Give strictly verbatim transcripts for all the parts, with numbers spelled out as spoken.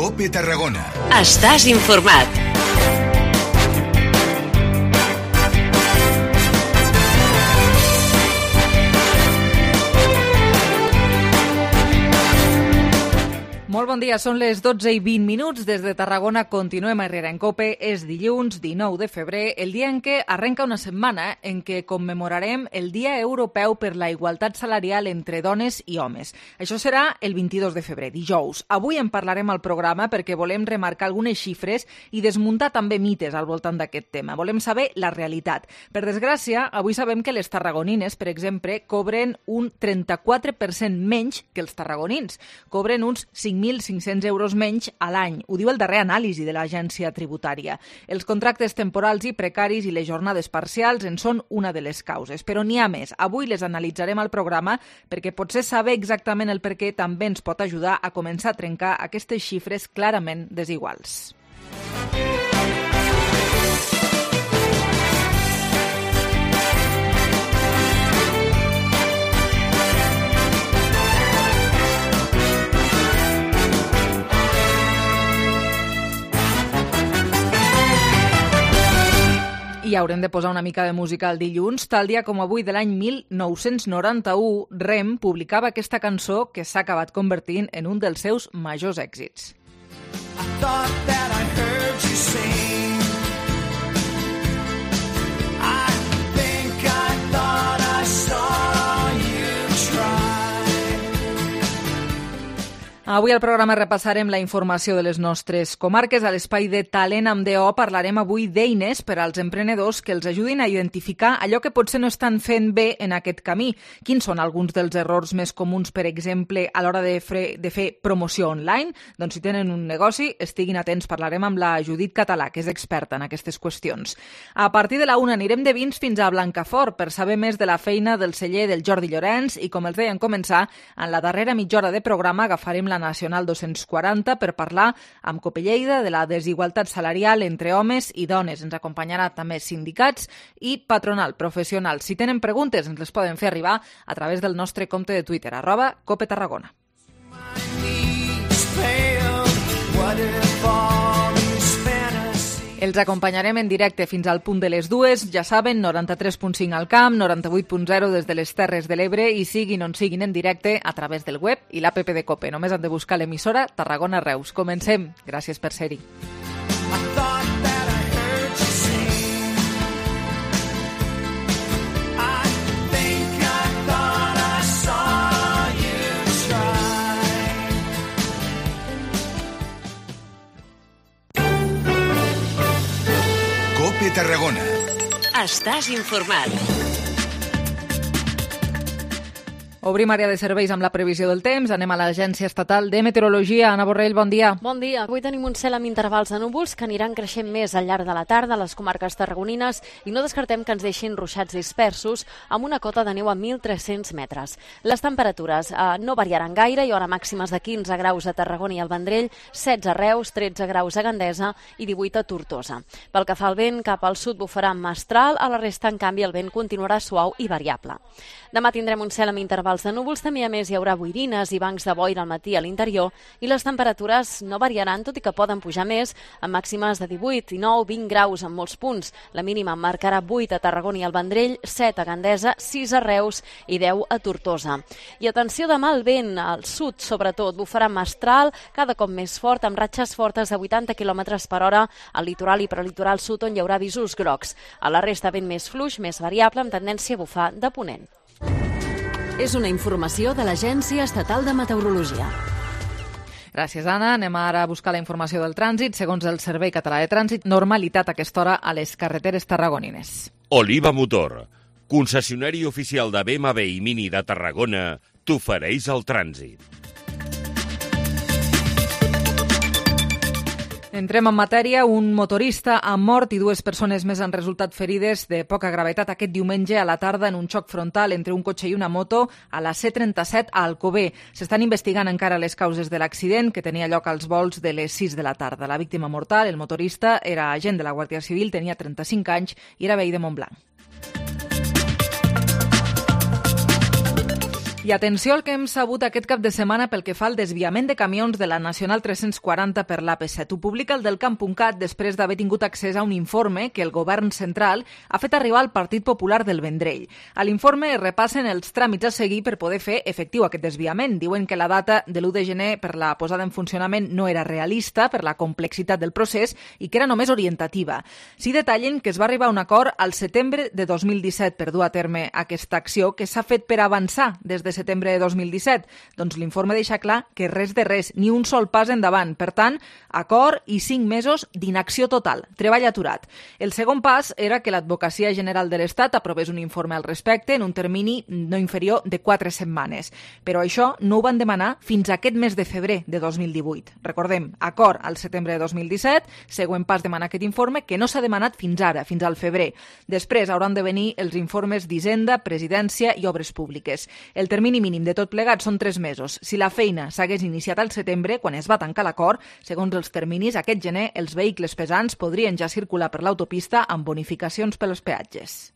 COPE Tarragona. Estàs informat. Molt bon dia, són les dotze i vint minuts. Des de Tarragona continuem a Herrera en Cope. És dilluns dinou de febrer, el dia en què arrenca una setmana en què commemorarem el Dia Europeu per la Igualtat Salarial entre dones i homes. Això serà el vint-i-dos de febrer, dijous. Avui en parlarem al programa perquè volem remarcar algunes xifres i desmuntar també mites al voltant d'aquest tema. Volem saber la realitat. Per desgràcia, avui sabem que les tarragonines, per exemple, cobren un trenta-quatre per cent menys que els tarragonins. Cobren uns cinc mil cinc-cents euros menys a l'any. Ho diu el darrer anàlisi de l'agència tributària. Els contractes temporals i precaris i les jornades parcials en són una de les causes. Però n'hi ha més. Avui les analitzarem al programa perquè potser saber exactament el per què també ens pot ajudar a començar a trencar aquestes xifres clarament desiguals. I haurem de posar una mica de música al dilluns. Tal dia com avui de l'any mil nou-cents noranta-u, Rem publicava aquesta cançó que s'ha acabat convertint en un dels seus majors èxits. I thought that I heard you sing. I think I thought I saw you try. Avui al programa repassarem la informació de les nostres comarques. A l'espai de Talent amb D O parlarem avui d'eines per als emprenedors que els ajudin a identificar allò que potser no estan fent bé en aquest camí. Quins són alguns dels errors més comuns, per exemple, a l'hora de, fre- de fer promoció online? Doncs si tenen un negoci, estiguin atents. Parlarem amb la Judit Català, que és experta en aquestes qüestions. A partir de la una anirem de vins fins a Blancafort per saber més de la feina del celler del Jordi Llorenç i, com els deien començar, en la darrera mitja hora de programa agafarem la Nacional dos-cents quaranta per parlar amb Cope Lleida de la desigualtat salarial entre homes i dones. Ens acompanyarà també sindicats i patronal professional. Si tenen preguntes, ens les poden fer arribar a través del nostre compte de Twitter, arroba Cope Tarragona. Els acompanyarem en directe fins al punt de les dues. Ja saben, noranta-tres punt cinc al camp, noranta-vuit punt zero des de les Terres de l'Ebre i siguin on siguin en directe a través del web i l'app de Cope. Només han de buscar l'emissora Tarragona Reus. Comencem. Gràcies per ser-hi. COPE Tarragona. Estàs informat. Obrim àrea de serveis amb la previsió del temps. Anem a l'Agència Estatal de Meteorologia. Anna Borrell, bon dia. Bon dia. Avui tenim un cel amb intervals de núvols que aniran creixent més al llarg de la tarda a les comarques tarragonines i no descartem que ens deixin ruixats dispersos amb una cota de neu a mil tres-cents metres. Les temperatures eh, no variaran gaire. Hi haurà màximes de quinze graus a Tarragona i al Vendrell, setze a Reus, tretze graus a Gandesa i divuit a Tortosa. Pel que fa al vent, cap al sud bufarà amb mestral, a la resta, en canvi, el vent continuarà suau i variable. Demà tindrem un cel amb intervals de núvols, també a més hi haurà boirines i bancs de boira al matí a l'interior i les temperatures no variaran, tot i que poden pujar més, amb màximes de divuit, dinou, vint graus en molts punts. La mínima marcarà vuit a Tarragona i al Vendrell, set a Gandesa, sis a Reus i deu a Tortosa. I atenció demà al vent, al sud sobretot, bufarà mestral, cada cop més fort, amb ratxes fortes de vuitanta quilòmetres per hora al litoral i prelitoral sud, on hi haurà avisos grocs. A la resta vent més fluix, més variable, amb tendència a bufar de ponent. És una informació de l'Agència Estatal de Meteorologia. Gràcies, Anna. Anem ara a buscar la informació del trànsit. Segons el Servei Català de Trànsit, normalitat a aquesta hora a les carreteres tarragonines. Oliva Motor, concessionari oficial de B M W i Mini de Tarragona, t'ofereix el trànsit. Entrem en matèria. Un motorista ha mort i dues persones més han resultat ferides de poca gravetat aquest diumenge a la tarda en un xoc frontal entre un cotxe i una moto a la C trenta-set a Alcover. S'estan investigant encara les causes de l'accident, que tenia lloc als volts de les sis de la tarda. La víctima mortal, el motorista, era agent de la Guàrdia Civil, tenia trenta-cinc anys i era veí de Montblanc. I atenció al que hem sabut aquest cap de setmana pel que fa al desviament de camions de la Nacional tres-cents quaranta per l'A P set. Ho publica el Delcamp punt cat després d'haver tingut accés a un informe que el govern central ha fet arribar al Partit Popular del Vendrell. A l'informe es repassen els tràmits a seguir per poder fer efectiu aquest desviament. Diuen que la data de l'u de gener per la posada en funcionament no era realista per la complexitat del procés i que era només orientativa. Sí detallen que es va arribar a un acord al setembre de dos mil disset per dur a terme aquesta acció que s'ha fet per avançar des de setembre de dos mil disset. Doncs l'informe deixa clar que res de res, ni un sol pas endavant. Per tant, acord i cinc mesos d'inacció total, treball aturat. El segon pas era que l'Advocacia General de l'Estat aprovés un informe al respecte en un termini no inferior de quatre setmanes. Però això no ho van demanar fins a aquest mes de febrer de dos mil divuit. Recordem, acord al setembre de dos mil disset, següent pas demanar aquest informe que no s'ha demanat fins ara, fins al febrer. Després hauran de venir els informes d'Hisenda, Presidència i Obres Públiques. El termini mínim de tot plegat són tres mesos. Si la feina s'hagués iniciat al setembre, quan es va tancar l'acord, segons els terminis, aquest gener els vehicles pesants podrien ja circular per l'autopista amb bonificacions pels peatges.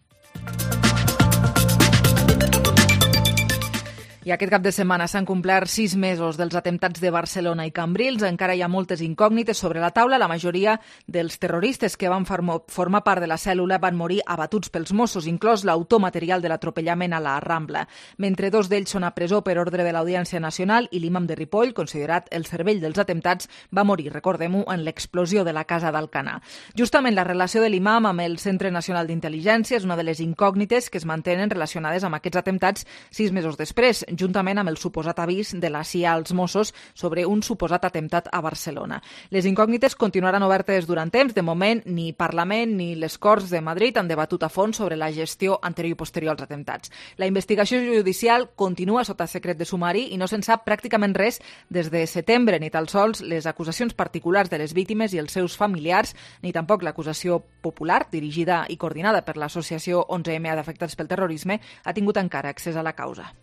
I aquest cap de setmana s'han complert sis mesos dels atemptats de Barcelona i Cambrils. Encara hi ha moltes incògnites sobre la taula. La majoria dels terroristes que van formar part de la cèl·lula van morir abatuts pels Mossos, inclòs l'autor material de l'atropellament a la Rambla. Mentre dos d'ells són a presó per ordre de l'Audiència Nacional i l'imam de Ripoll, considerat el cervell dels atemptats, va morir, recordem-ho, en l'explosió de la casa d'Alcanar. Justament la relació de l'imam amb el Centre Nacional d'Intel·ligència és una de les incògnites que es mantenen relacionades amb aquests atemptats sis mesos després, juntament amb el suposat avís de la C I A als Mossos sobre un suposat atemptat a Barcelona. Les incògnites continuaran obertes durant temps. De moment, ni Parlament ni les Corts de Madrid han debatut a fons sobre la gestió anterior i posterior als atemptats. La investigació judicial continua sota secret de sumari i no se'n sap pràcticament res des de setembre, ni tan sols les acusacions particulars de les víctimes i els seus familiars, ni tampoc l'acusació popular, dirigida i coordinada per l'associació onze eme d'afectats pel terrorisme, ha tingut encara accés a la causa.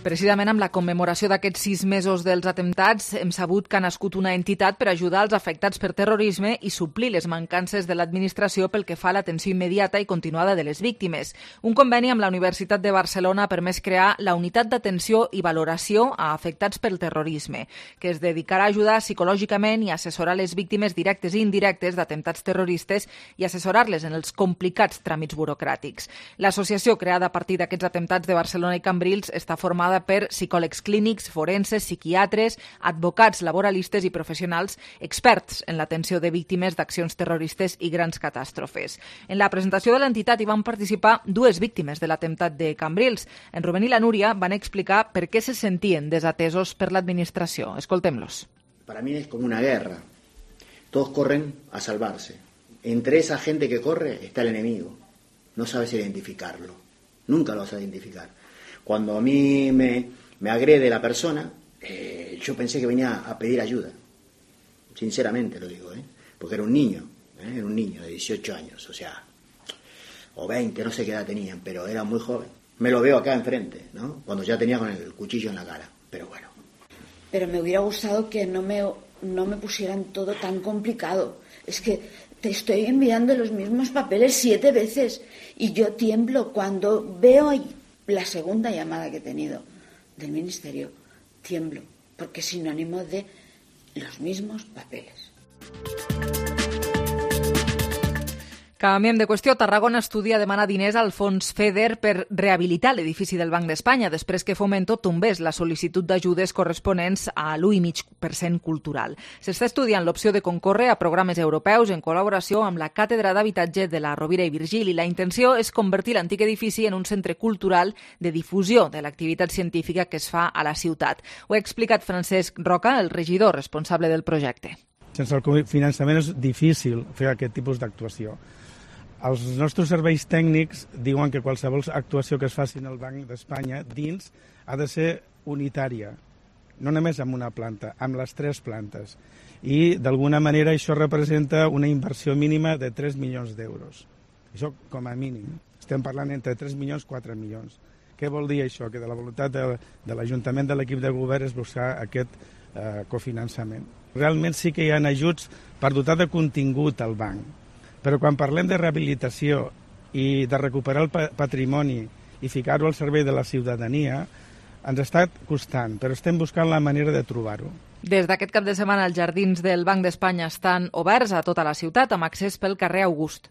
Precisament amb la commemoració d'aquests sis mesos dels atemptats hem sabut que ha nascut una entitat per ajudar els afectats per terrorisme i suplir les mancances de l'administració pel que fa a l'atenció immediata i continuada de les víctimes. Un conveni amb la Universitat de Barcelona ha permès crear la Unitat d'Atenció i Valoració a Afectats pel Terrorisme, que es dedicarà a ajudar psicològicament i assessorar les víctimes directes i indirectes d'atemptats terroristes i assessorar-les en els complicats tràmits burocràtics. L'associació creada a partir d'aquests atemptats de Barcelona i Cambrils està formada per psicòlegs clínics, forenses, psiquiatres, advocats, laboralistes i professionals experts en l'atenció de víctimes d'accions terroristes i grans catàstrofes. En la presentació de l'entitat hi van participar dues víctimes de l'atemptat de Cambrils. En Rubén i la Núria van explicar per què se sentien desatesos per l'administració. Escoltem-los. Para mí es como una guerra. Todos corren a salvarse. Entre esa gente que corre está el enemigo. No sabes identificarlo. Nunca lo vas a identificar. Cuando a mí me, me agrede la persona, eh, yo pensé que venía a pedir ayuda. Sinceramente lo digo, ¿eh? Porque era un niño, ¿eh? Era un niño de dieciocho años, o sea, o veinte, no sé qué edad tenían, pero era muy joven. Me lo veo acá enfrente, ¿no? Cuando ya tenía con el cuchillo en la cara, pero bueno. Pero me hubiera gustado que no me, no me pusieran todo tan complicado. Es que te estoy enviando los mismos papeles siete veces y yo tiemblo cuando veo la segunda llamada que he tenido del Ministerio. Tiemblo, porque es sinónimo de los mismos papeles. Canviem de qüestió. Tarragona estudia demanar diners al fons FEDER per rehabilitar l'edifici del Banc d'Espanya després que Fomento tombés la sol·licitud d'ajudes corresponents a l'u coma cinc per cent cultural. S'està estudiant l'opció de concórrer a programes europeus en col·laboració amb la Càtedra d'Habitatge de la Rovira i Virgili. La intenció és convertir l'antic edifici en un centre cultural de difusió de l'activitat científica que es fa a la ciutat. Ho ha explicat Francesc Roca, el regidor responsable del projecte. Sense el finançament és difícil fer aquest tipus d'actuació. Els nostres serveis tècnics diuen que qualsevol actuació que es faci en el Banc d'Espanya dins ha de ser unitària, no només amb una planta, amb les tres plantes. I d'alguna manera això representa una inversió mínima de tres milions d'euros. Això com a mínim. Estem parlant entre tres milions i quatre milions. Què vol dir això? Que de la voluntat de, de l'Ajuntament de l'equip de govern és buscar aquest eh, cofinançament. Realment sí que hi ha ajuts per dotar de contingut al banc. Però quan parlem de rehabilitació i de recuperar el patrimoni i ficar-ho al servei de la ciutadania, ens està costant, però estem buscant la manera de trobar-ho. Des d'aquest cap de setmana, els jardins del Banc d'Espanya estan oberts a tota la ciutat, amb accés pel carrer August.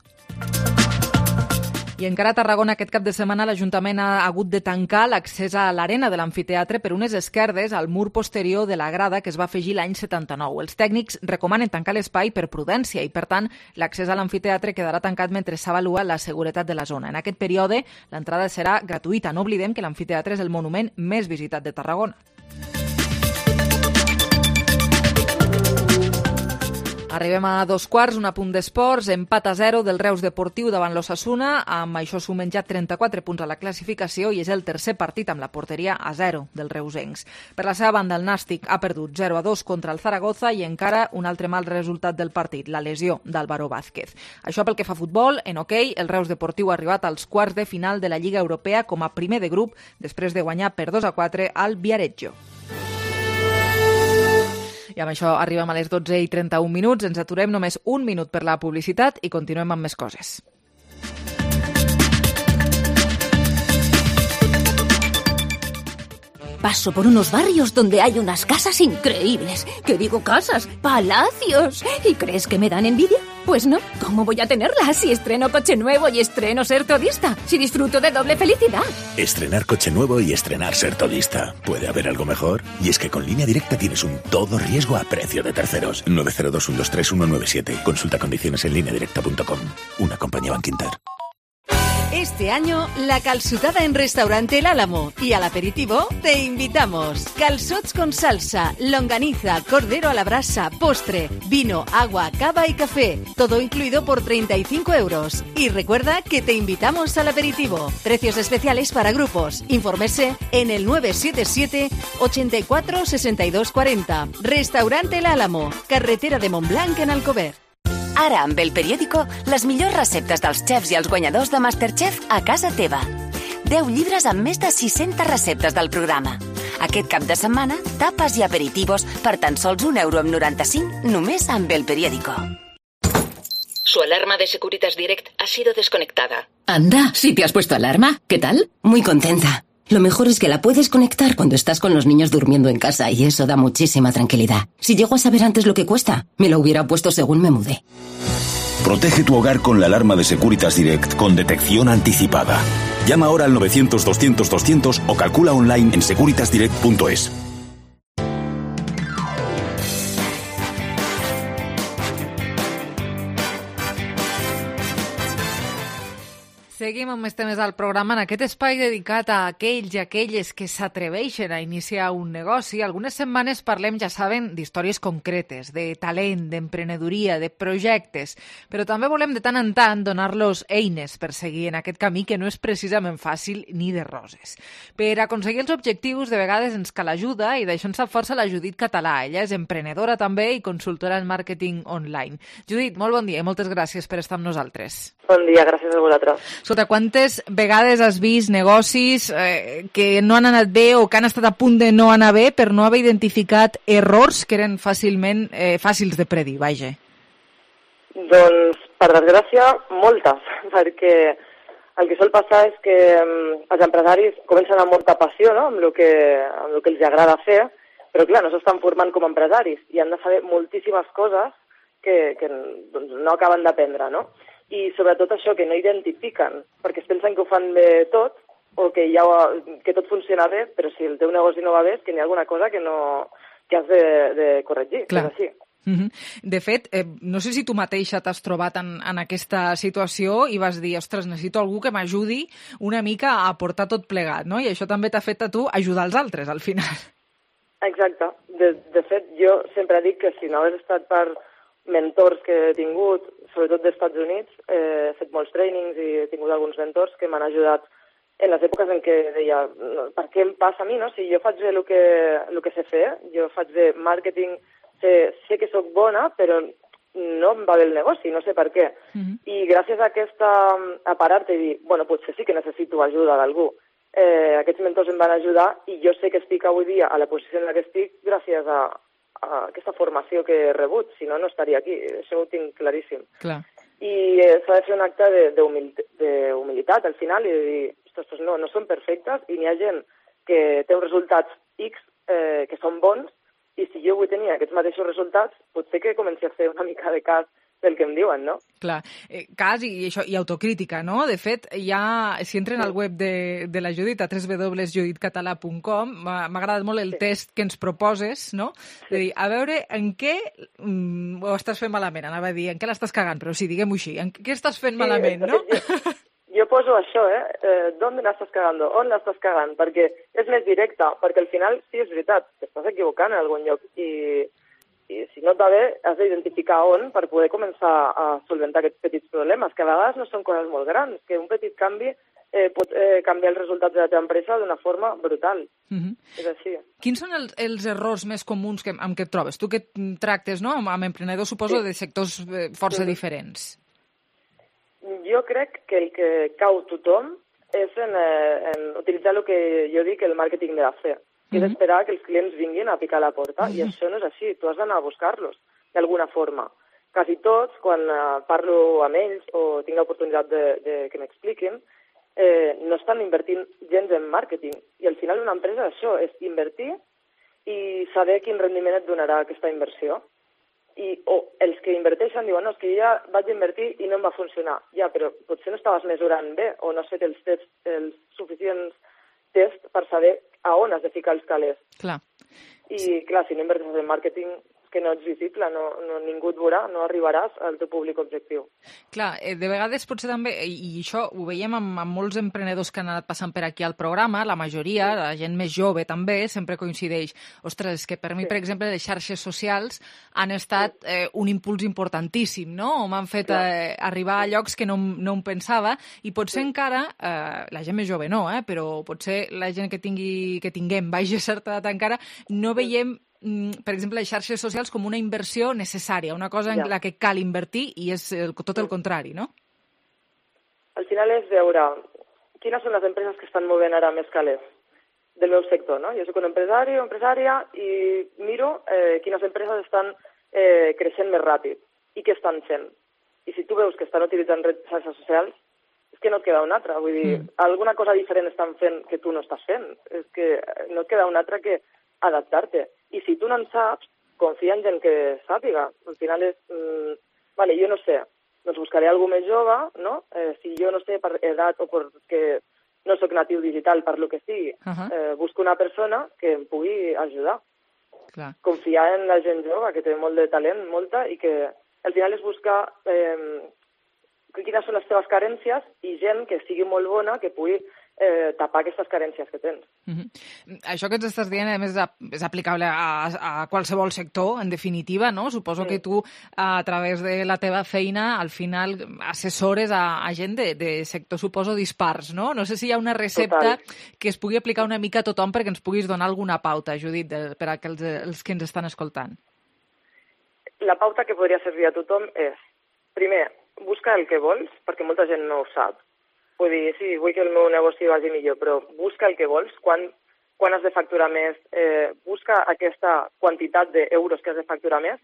I encara a Tarragona aquest cap de setmana l'Ajuntament ha hagut de tancar l'accés a l'arena de l'amfiteatre per unes esquerdes al mur posterior de la grada que es va afegir l'any setanta-nou. Els tècnics recomanen tancar l'espai per prudència i, per tant, l'accés a l'amfiteatre quedarà tancat mentre s'avalua la seguretat de la zona. En aquest període, l'entrada serà gratuïta. No oblidem que l'amfiteatre és el monument més visitat de Tarragona. Arribem a dos quarts, un apunt d'esports, empat a zero del Reus Deportiu davant l'Osasuna, amb això sumen ja trenta-quatre punts a la classificació i és el tercer partit amb la porteria a zero dels reusencs. Per la seva banda, el Nàstic ha perdut zero a dos contra el Zaragoza i encara un altre mal resultat del partit, la lesió d'Álvaro Vázquez. Això pel que fa a futbol, en hoquei, el Reus Deportiu ha arribat als quarts de final de la Lliga Europea com a primer de grup després de guanyar per dos a quatre al Viareggio. I amb això arribem a les dotze i trenta-un minuts. Ens aturem només un minut per la publicitat i continuem amb més coses. Paso por unos barrios donde hay unas casas increíbles. ¿Qué digo casas? ¡Palacios! ¿Y crees que me dan envidia? Pues no. ¿Cómo voy a tenerlas si estreno coche nuevo y estreno ser todista? Si disfruto de doble felicidad. Estrenar coche nuevo y estrenar ser todista. ¿Puede haber algo mejor? Y es que con Línea Directa tienes un todo riesgo a precio de terceros. nueve cero dos, uno dos tres, uno nueve siete. Consulta condiciones en línea directa punto com. Una compañía Bankinter. Este año, la calçotada en Restaurante El Álamo y al aperitivo te invitamos. Calçots con salsa, longaniza, cordero a la brasa, postre, vino, agua, cava y café. Todo incluido por treinta y cinco euros. Y recuerda que te invitamos al aperitivo. Precios especiales para grupos. Infórmese en el nueve siete siete, ochenta y cuatro, sesenta y dos cuarenta. Restaurante El Álamo, carretera de Montblanc en Alcover. Ara, amb El Periódico, les millors receptes dels xefs i els guanyadors de Masterchef a casa teva. deu llibres amb més de sis-centes receptes del programa. Aquest cap de setmana, tapes i aperitivos per tan sols un euro amb noranta-cinc només amb El Periódico. Su alarma de Securitas Direct ha sido desconectada. Anda, ¿sí te has puesto alarma? ¿Qué tal? Muy contenta. Lo mejor es que la puedes conectar cuando estás con los niños durmiendo en casa y eso da muchísima tranquilidad. Si llego a saber antes lo que cuesta, me lo hubiera puesto según me mudé. Protege tu hogar con la alarma de Securitas Direct con detección anticipada. Llama ahora al novecientos, doscientos, doscientos o calcula online en securitas direct punto es. Seguim amb més temes al programa. En aquest espai dedicat a aquells i aquelles que s'atreveixen a iniciar un negoci, algunes setmanes parlem, ja saben, d'històries concretes, de talent, d'emprenedoria, de projectes, però també volem de tant en tant donar-los eines per seguir en aquest camí que no és precisament fàcil ni de roses. Per aconseguir els objectius, de vegades ens cal ajuda i d'això en sap força la Judit Català. Ella és emprenedora també i consultora en màrqueting online. Judit, molt bon dia i moltes gràcies per estar amb nosaltres. Bon dia, gràcies a vosaltres. Escolta, quantes vegades has vist negocis eh, que no han anat bé o que han estat a punt de no anar bé per no haver identificat errors que eren fàcilment eh, fàcils de predir, vaja? Doncs, per desgràcia, moltes, perquè el que sol passar és que um, els empresaris comencen amb molta passió, no?, amb el que, amb el que els agrada fer, però clar, no s'estan formant com a empresaris i han de saber moltíssimes coses que, que doncs, no acaben d'aprendre, no? I sobretot això, que no identifiquen, perquè es pensen que ho fan bé tot o que, ja, que tot funciona bé, però si el teu negoci no va bé és que n'hi ha alguna cosa que, no, que has de, de corregir. Clar. És així. Mm-hmm. De fet, eh, no sé si tu mateixa t'has trobat en, en aquesta situació i vas dir, ostres, necessito algú que m'ajudi una mica a portar tot plegat, no? I això també t'ha fet a tu ajudar els altres, al final. Exacte. De, de fet, jo sempre dic que si no hagués estat per mentors que he tingut, sobretot dels Estats Units, eh, he fet molts trainings i he tingut alguns mentors que m'han ajudat en les èpoques en què deia, per què em passa a mi, no? Si jo faig bé el que, el que sé fer, jo faig bé màrqueting, sé, sé que sóc bona, però no em va bé el negoci, no sé per què. Mm-hmm. I gràcies a aquesta, a parar-te i dir, bueno, potser sí que necessito ajuda d'algú. Eh, aquests mentors em van ajudar i jo sé que estic avui dia a la posició en la que estic gràcies a aquesta formació que he rebut, si no, no estaria aquí, això ho tinc claríssim. Clar. i eh, s'ha de fer un acte d'humilitat al final i de dir, ostres, no, no són perfectes i n'hi ha gent que té uns resultats X eh, que són bons i si jo vull tenir aquests mateixos resultats, potser que comenci a fer una mica de cas del que em diuen, no? Clar, eh, cas i, això, i autocrítica, no? De fet, ja, si entren al web de, de la Judit, a w w w punt judit català punt com, m'ha agradat molt el sí. test que ens proposes, no? De dir, a veure, en què mm, ho estàs fent malament? Anava a dir, en què l'estàs cagant? Però sí, diguem-ho així, en què estàs fent sí, malament, no? Jo, jo poso això, eh? eh ¿Dónde l'estàs cagando? On l'estàs cagant? Perquè és més directe, perquè al final, sí, és veritat, t'estàs equivocant en algun lloc i... i si no et va bé, has d'identificar on per poder començar a solventar aquests petits problemes, que a vegades no són coses molt grans, que un petit canvi eh, pot eh, canviar els resultats de la teva empresa d'una forma brutal. Uh-huh. És així. Quins són els, els errors més comuns que, amb què et trobes? Tu que tractes, no?, amb, amb emprenedors, suposo, sí. de sectors eh, força uh-huh. diferents. Jo crec que el que cau tothom és en, eh, en utilitzar el que jo dic el màrqueting de la fe. I és esperar que els clients vinguin a picar a la porta, i això no és així, tu has d'anar a buscar-los, d'alguna forma. Quasi tots, quan uh, parlo amb ells o tinc l'oportunitat de, de que m'expliquin, eh, no estan invertint gens en màrqueting. I al final una empresa això és invertir i saber quin rendiment et donarà aquesta inversió. I, o els que inverteixen diuen, no, és que jo ja vaig invertir i no em va funcionar. Ja, però potser no estaves mesurant bé o no has fet els tests, els suficients test per saber a on has de ficar els calés. Clar. I, clar, si no inverteixes en màrqueting, que no ets visible, no, no, ningú et veurà, no arribaràs al teu públic objectiu. Clar, eh, de vegades potser també, i, i això ho veiem amb, amb molts emprenedors que han anat passant per aquí al programa, la majoria, sí. la gent més jove també, sempre coincideix. Ostres, és que per mi, sí. per exemple, les xarxes socials han estat sí. eh, un impuls importantíssim, no? O m'han fet eh, arribar a llocs que no, no em pensava, i potser sí. encara, eh, la gent més jove no, eh, però potser la gent que tingui que tinguem baixa certa edat encara, no veiem per exemple, les xarxes socials com una inversió necessària, una cosa en ja. la que cal invertir i és el, tot el contrari, no? Al final és veure quines són les empreses que estan movent ara més calés del meu sector, no? Jo soc un empresari o empresària i miro eh, quines empreses estan eh, creixent més ràpid i què estan fent. I si tu veus que estan utilitzant xarxes socials, és que no et queda una altra. Vull dir, mm. alguna cosa diferent estan fent que tu no estàs fent. És que no et queda una altra que adaptar-te. I si tu no en saps, confia en gent que sàpiga. Al final és, mmm, vale, jo no sé, doncs buscaré algú més jove, no? Eh, si jo no sé per edat o perquè no sóc natiu digital, per lo que sigui, uh-huh. eh, busco una persona que em pugui ajudar. Clar. Confiar en la gent jove, que té molt de talent, molta, i que al final és buscar eh, quines són les teves carències i gent que sigui molt bona, que pugui eh, tapar aquestes carències que tens. Uh-huh. Això que ens estàs dient, a més, és aplicable a, a qualsevol sector, en definitiva, no? Suposo sí. que tu, a través de la teva feina, al final assessores a, a gent de, de sector, suposo, dispars, no? No sé si hi ha una recepta Total. que es pugui aplicar una mica a tothom perquè ens puguis donar alguna pauta, Judit, de, per a que els, els que ens estan escoltant. La pauta que podria servir a tothom és, primer, busca el que vols, perquè molta gent no ho sap. Vull dir, sí, vull que el meu negoci vagi millor, però busca el que vols, quan, quan has de facturar més, eh, busca aquesta quantitat d'euros que has de facturar més,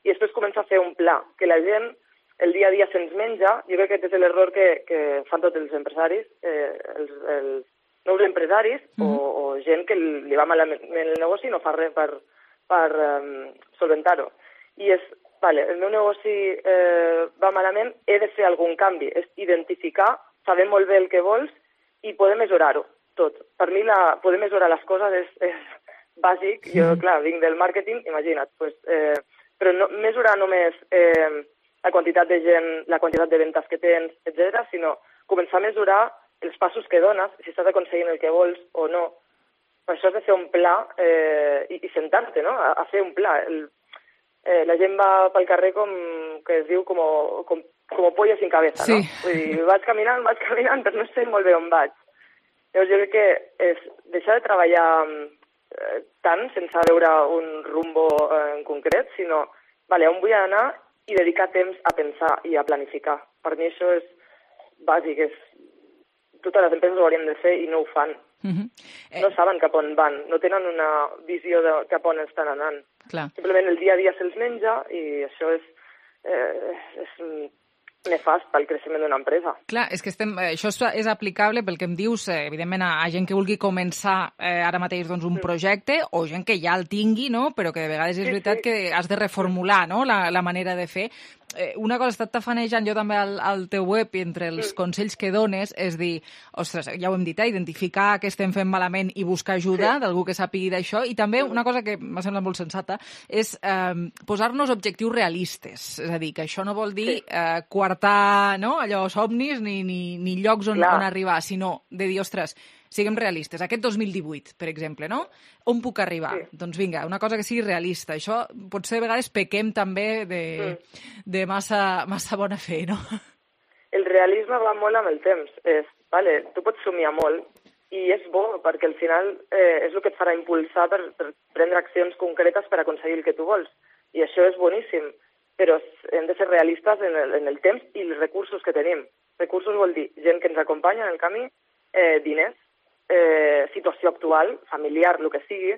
i després comença a fer un pla, que la gent el dia a dia se'ns menja. Jo crec que aquest és l'error que, que fan tots els empresaris, eh, els, els nous empresaris, mm-hmm. o, o gent que li va malament el negoci i no fa res per, per um, solventar-ho. I és, vale, el meu negoci eh, va malament, he de fer algun canvi, és identificar, saber molt bé el que vols i poder mesurar-ho tot. Per mi la, poder mesurar les coses és, és bàsic. Jo, clar, vinc del màrqueting, imagina't, pues, eh, però no, mesurar només eh, la quantitat de gent, la quantitat de ventes que tens, etcètera, sinó començar a mesurar els passos que dones, si estàs aconseguint el que vols o no. Per això has de fer un pla eh, i, i sentar-te, no?, a, a fer un pla. El, eh, la gent va pel carrer com que es diu com, com, com pollo sin cabeza, sí. no? Vull dir, vaig caminant, vaig caminant, però no sé molt bé on vaig. Llavors jo crec que és deixar de treballar eh, tant sense veure un rumbo eh, en concret, sinó, vale, on vull anar i dedicar temps a pensar i a planificar. Per mi això és bàsic, és... totes les empreses ho haurien de fer i no ho fan. Uh-huh. eh... No saben cap on van, no tenen una visió de cap on estan anant. Clar. Simplement el dia a dia se'ls menja i això és... Eh, és nefast pel creixement d'una empresa. Clar, és que estem, això és aplicable pel que em dius, eh, evidentment, a, a gent que vulgui començar eh, ara mateix doncs, un mm. projecte o gent que ja el tingui, no? Però que de vegades és sí, veritat sí. que has de reformular, no? la, la manera de fer. Eh, una cosa, he estat tafanejant jo també al, al teu web i entre els mm. consells que dones és dir, ostres, ja ho hem dit, eh, identificar què estem fent malament i buscar ajuda sí. d'algú que sàpigui d'això. I també una cosa que m'ha semblat molt sensata és eh, posar-nos objectius realistes. És a dir, que això no vol dir sí. eh, coartar no? allò somnis ni, ni, ni llocs on, on arribar, sinó de dir, ostres, siguem realistes. Aquest dos mil divuit, per exemple, no? On puc arribar? Sí. Doncs vinga, una cosa que sigui realista. Això potser a vegades pequem també de, mm. de massa, massa bona fe, no? El realisme va molt amb el temps. És, vale, tu pots somiar molt i és bo perquè al final eh, és el que et farà impulsar per, per prendre accions concretes per aconseguir el que tu vols. I això és boníssim, però hem de ser realistes en el, en el temps i els recursos que tenim. Recursos vol dir gent que ens acompanya en el camí, eh, diners, Eh, situació actual, familiar, el que sigui,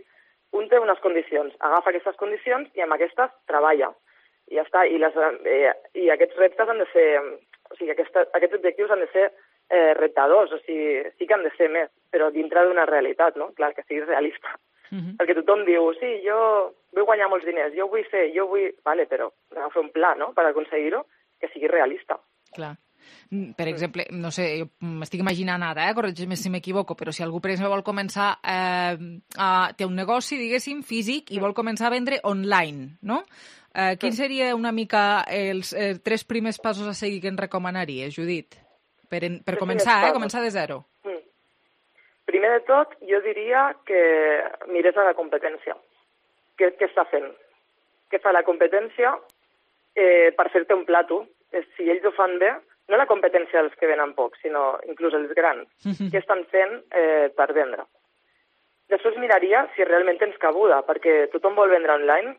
un té unes condicions, agafa aquestes condicions i amb aquestes treballa. I ja està. I, les, eh, i aquests reptes han de ser, o sigui, aquesta, aquests objectius han de ser eh, reptadors, o sigui, sí que han de ser més, però dintre d'una realitat, no? Clar, que siguis realista. Uh-huh. Perquè tothom diu, sí, jo vull guanyar molts diners, jo vull fer, jo vull... Vale, però hem de fer un pla, no?, per aconseguir-ho, que sigui realista. Clar. Per exemple, no sé, jo m'estic imaginant ara, eh? corregeix-me si m'equivoco, però si algú, per exemple, vol començar, eh, a, té un negoci, diguéssim, físic, i vol començar a vendre online, no? Eh, quin seria una mica els eh, tres primers passos a seguir que ens recomanaries, Judit? Per, en, per començar, eh? Començar de zero. Mm. Primer de tot, jo diria que mires a la competència. Què, què està fent? Què fa la competència eh, per fer-te un plato? Si ells ho fan bé, no la competència dels que venen poc, sinó inclús els grans, que estan fent eh, per vendre. Després miraria si realment tens cabuda, perquè tothom vol vendre online,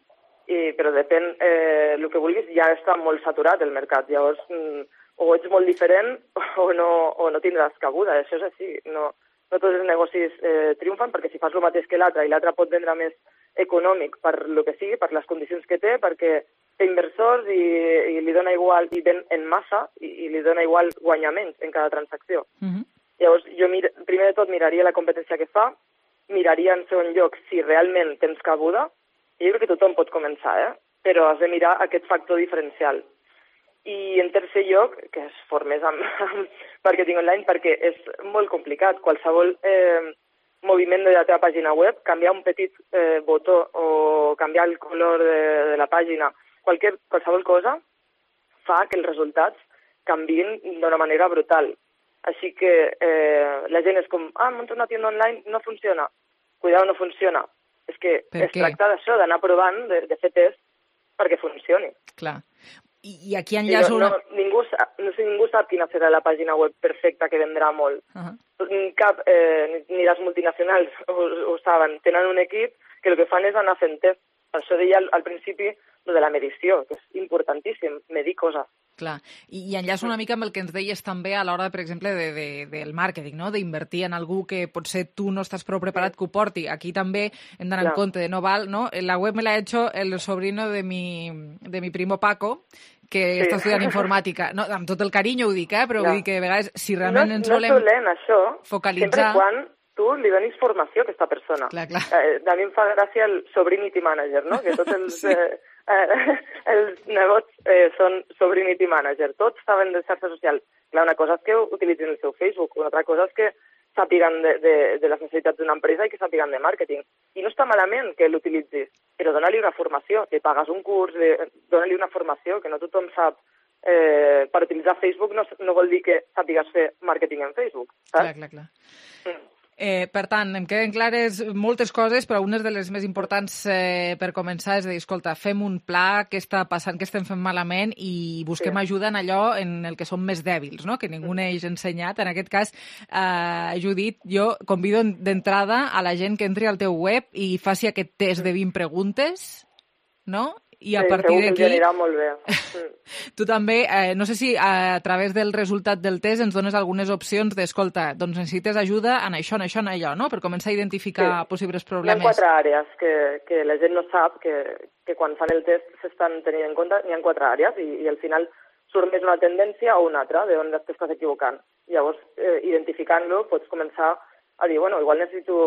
i, però depèn eh, el que vulguis, ja està molt saturat el mercat. Llavors, mm, o ets molt diferent o no, o no tindràs cabuda. Això és així. No, no tots els negocis eh, triomfen, perquè si fas el mateix que l'altre i l'altre pot vendre més econòmic per lo que sigui, per les condicions que té, perquè té inversors i, i li dona igual, i ven en massa, i, i li dona igual guanyar menys en cada transacció. Uh-huh. Llavors, jo mir, primer de tot miraria la competència que fa, miraria en segon lloc si realment tens cabuda, i jo crec que tothom pot començar, eh? Però has de mirar aquest factor diferencial. I en tercer lloc, que es formes amb, amb màrqueting online, perquè és molt complicat. Qualsevol eh, moviment de la teva pàgina web, canviar un petit eh, botó o canviar el color de, de la pàgina, Qualque, qualsevol cosa fa que els resultats canvien d'una manera brutal. Així que eh, la gent és com, ah, munto una tienda online, no funciona. Cuidado, no funciona. És que es tracta d'això, d'anar provant, de, de fer test perquè funcioni. Clar. I, i aquí enllaço no, una... no, ningú, no sé, ningú sap quina serà la pàgina web perfecta que vendrà molt. Uh-huh. Cap, eh, ni les multinacionals ho, ho saben. Tenen un equip que el que fan és anar fent test. Per això deia al, al principi de la medició, que és importantíssim, medir coses. Clar, i, i enllaço una mica amb el que ens deies també a l'hora, per exemple, de, de, del màrqueting, no? D'invertir en algú que potser tu no estàs prou preparat que ho porti. Aquí també hem d'anar en compte de no val, ¿no? La web me la ha hecho el sobrino de mi, de mi primo Paco, que sí. està estudiant informàtica. No, amb tot el carinyo ho dic, eh? Però vull dir que a vegades, si realment no, ens no volem dolent, això, focalitzar... Sempre quan tu li donis formació a aquesta persona. Clar, clar. Eh, a mi em fa gràcia el Sobrinity Manager, no? Que tots els... sí. eh, eh, els negots eh, són Sobrinity Manager. Tots saben de xarxa social. Clar, una cosa és que utilitzin el seu Facebook, una altra cosa és que sàpiguen de, de, de les necessitats d'una empresa i que sàpiguen de màrqueting. I no està malament que l'utilitzis, però dona-li una formació, que pagues un curs, dona-li una formació, que no tothom sap. Eh, per utilitzar Facebook no, no vol dir que sàpigues fer màrqueting en Facebook, saps? Clar, clar, clar. Mm. Eh, per tant, em queden clares moltes coses, però unes de les més importants eh, per començar és dir, escolta, fem un pla, què està passant, què estem fent malament i busquem sí. ajuda en allò en el que som més dèbils, no? Que ningú mm. n'hagi ensenyat. En aquest cas, eh, Judit, jo convido d'entrada a la gent que entri al teu web i faci aquest test de vint preguntes, no? I a sí, partir d'aquí... Sí, anirà molt bé. Tu també, eh, no sé si a, a través del resultat del test ens dones algunes opcions d'escolta, doncs necessites ajuda en això, en això, en allò, no? Per començar a identificar sí. possibles problemes. Hi ha quatre àrees que, que la gent no sap, que, que quan fan el test s'estan tenint en compte. Hi ha quatre àrees i, i al final surt més una tendència o una altra, d'on t'estàs equivocant. Llavors, eh, identificant-lo, pots començar a dir, bueno, igual necessito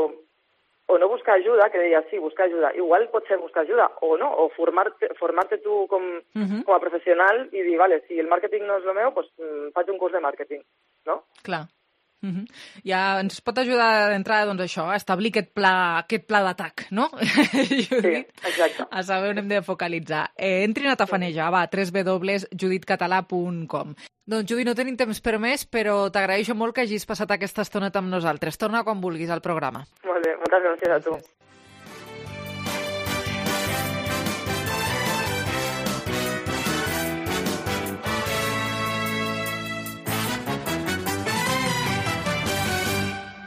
o no buscar ajuda, que deia, sí, buscar ajuda. Igual pot ser buscar ajuda o no, o formar-te formar-te tu com, uh-huh. com a professional i dir, vale, si el màrqueting no és el meu, doncs faig un curs de màrqueting, no? Clar. Uh-huh. Ja ens pot ajudar d'entrada, doncs, això, a establir aquest pla, aquest pla d'atac, no? Sí, exacte. A saber on hem de focalitzar. Eh, entrin a tafanejar, va, w w w punt judit català punt com. Doncs, Judit, no tenim temps per més, però t'agraeixo molt que hagis passat aquesta estoneta amb nosaltres. Torna quan vulguis al programa. Molt bé, moltes gràcies a tu. Gràcies.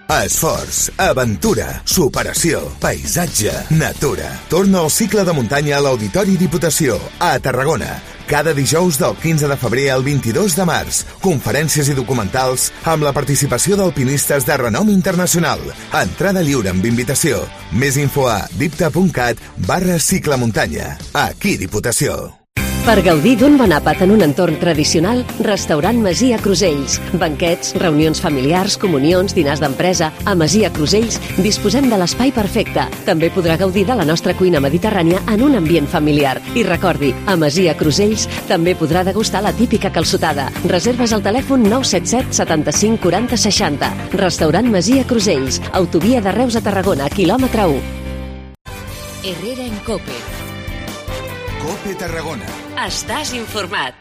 Esforç, aventura, superació, paisatge, natura. Torna al cicle de muntanya a l'Auditori Diputació, a Tarragona. Cada dijous del quinze de febrer al vint-i-dos de març. Conferències i documentals amb la participació d'alpinistes de renom internacional. Entrada lliure amb invitació. Més info a dipta.cat barra ciclemuntanya. Aquí Diputació. Per gaudir d'un bon àpat en un entorn tradicional, Restaurant Masia Crusells. Banquets, reunions familiars, comunions, dinars d'empresa. A Masia Crusells disposem de l'espai perfecte. També podrà gaudir de la nostra cuina mediterrània en un ambient familiar. I recordi, a Masia Crusells també podrà degustar la típica calçotada. Reserves al telèfon nou set set setanta-cinc quaranta seixanta. Restaurant Masia Crusells. Autovia de Reus a Tarragona, quilòmetre u. Herrera en Cope. Cope Tarragona. Estàs informat.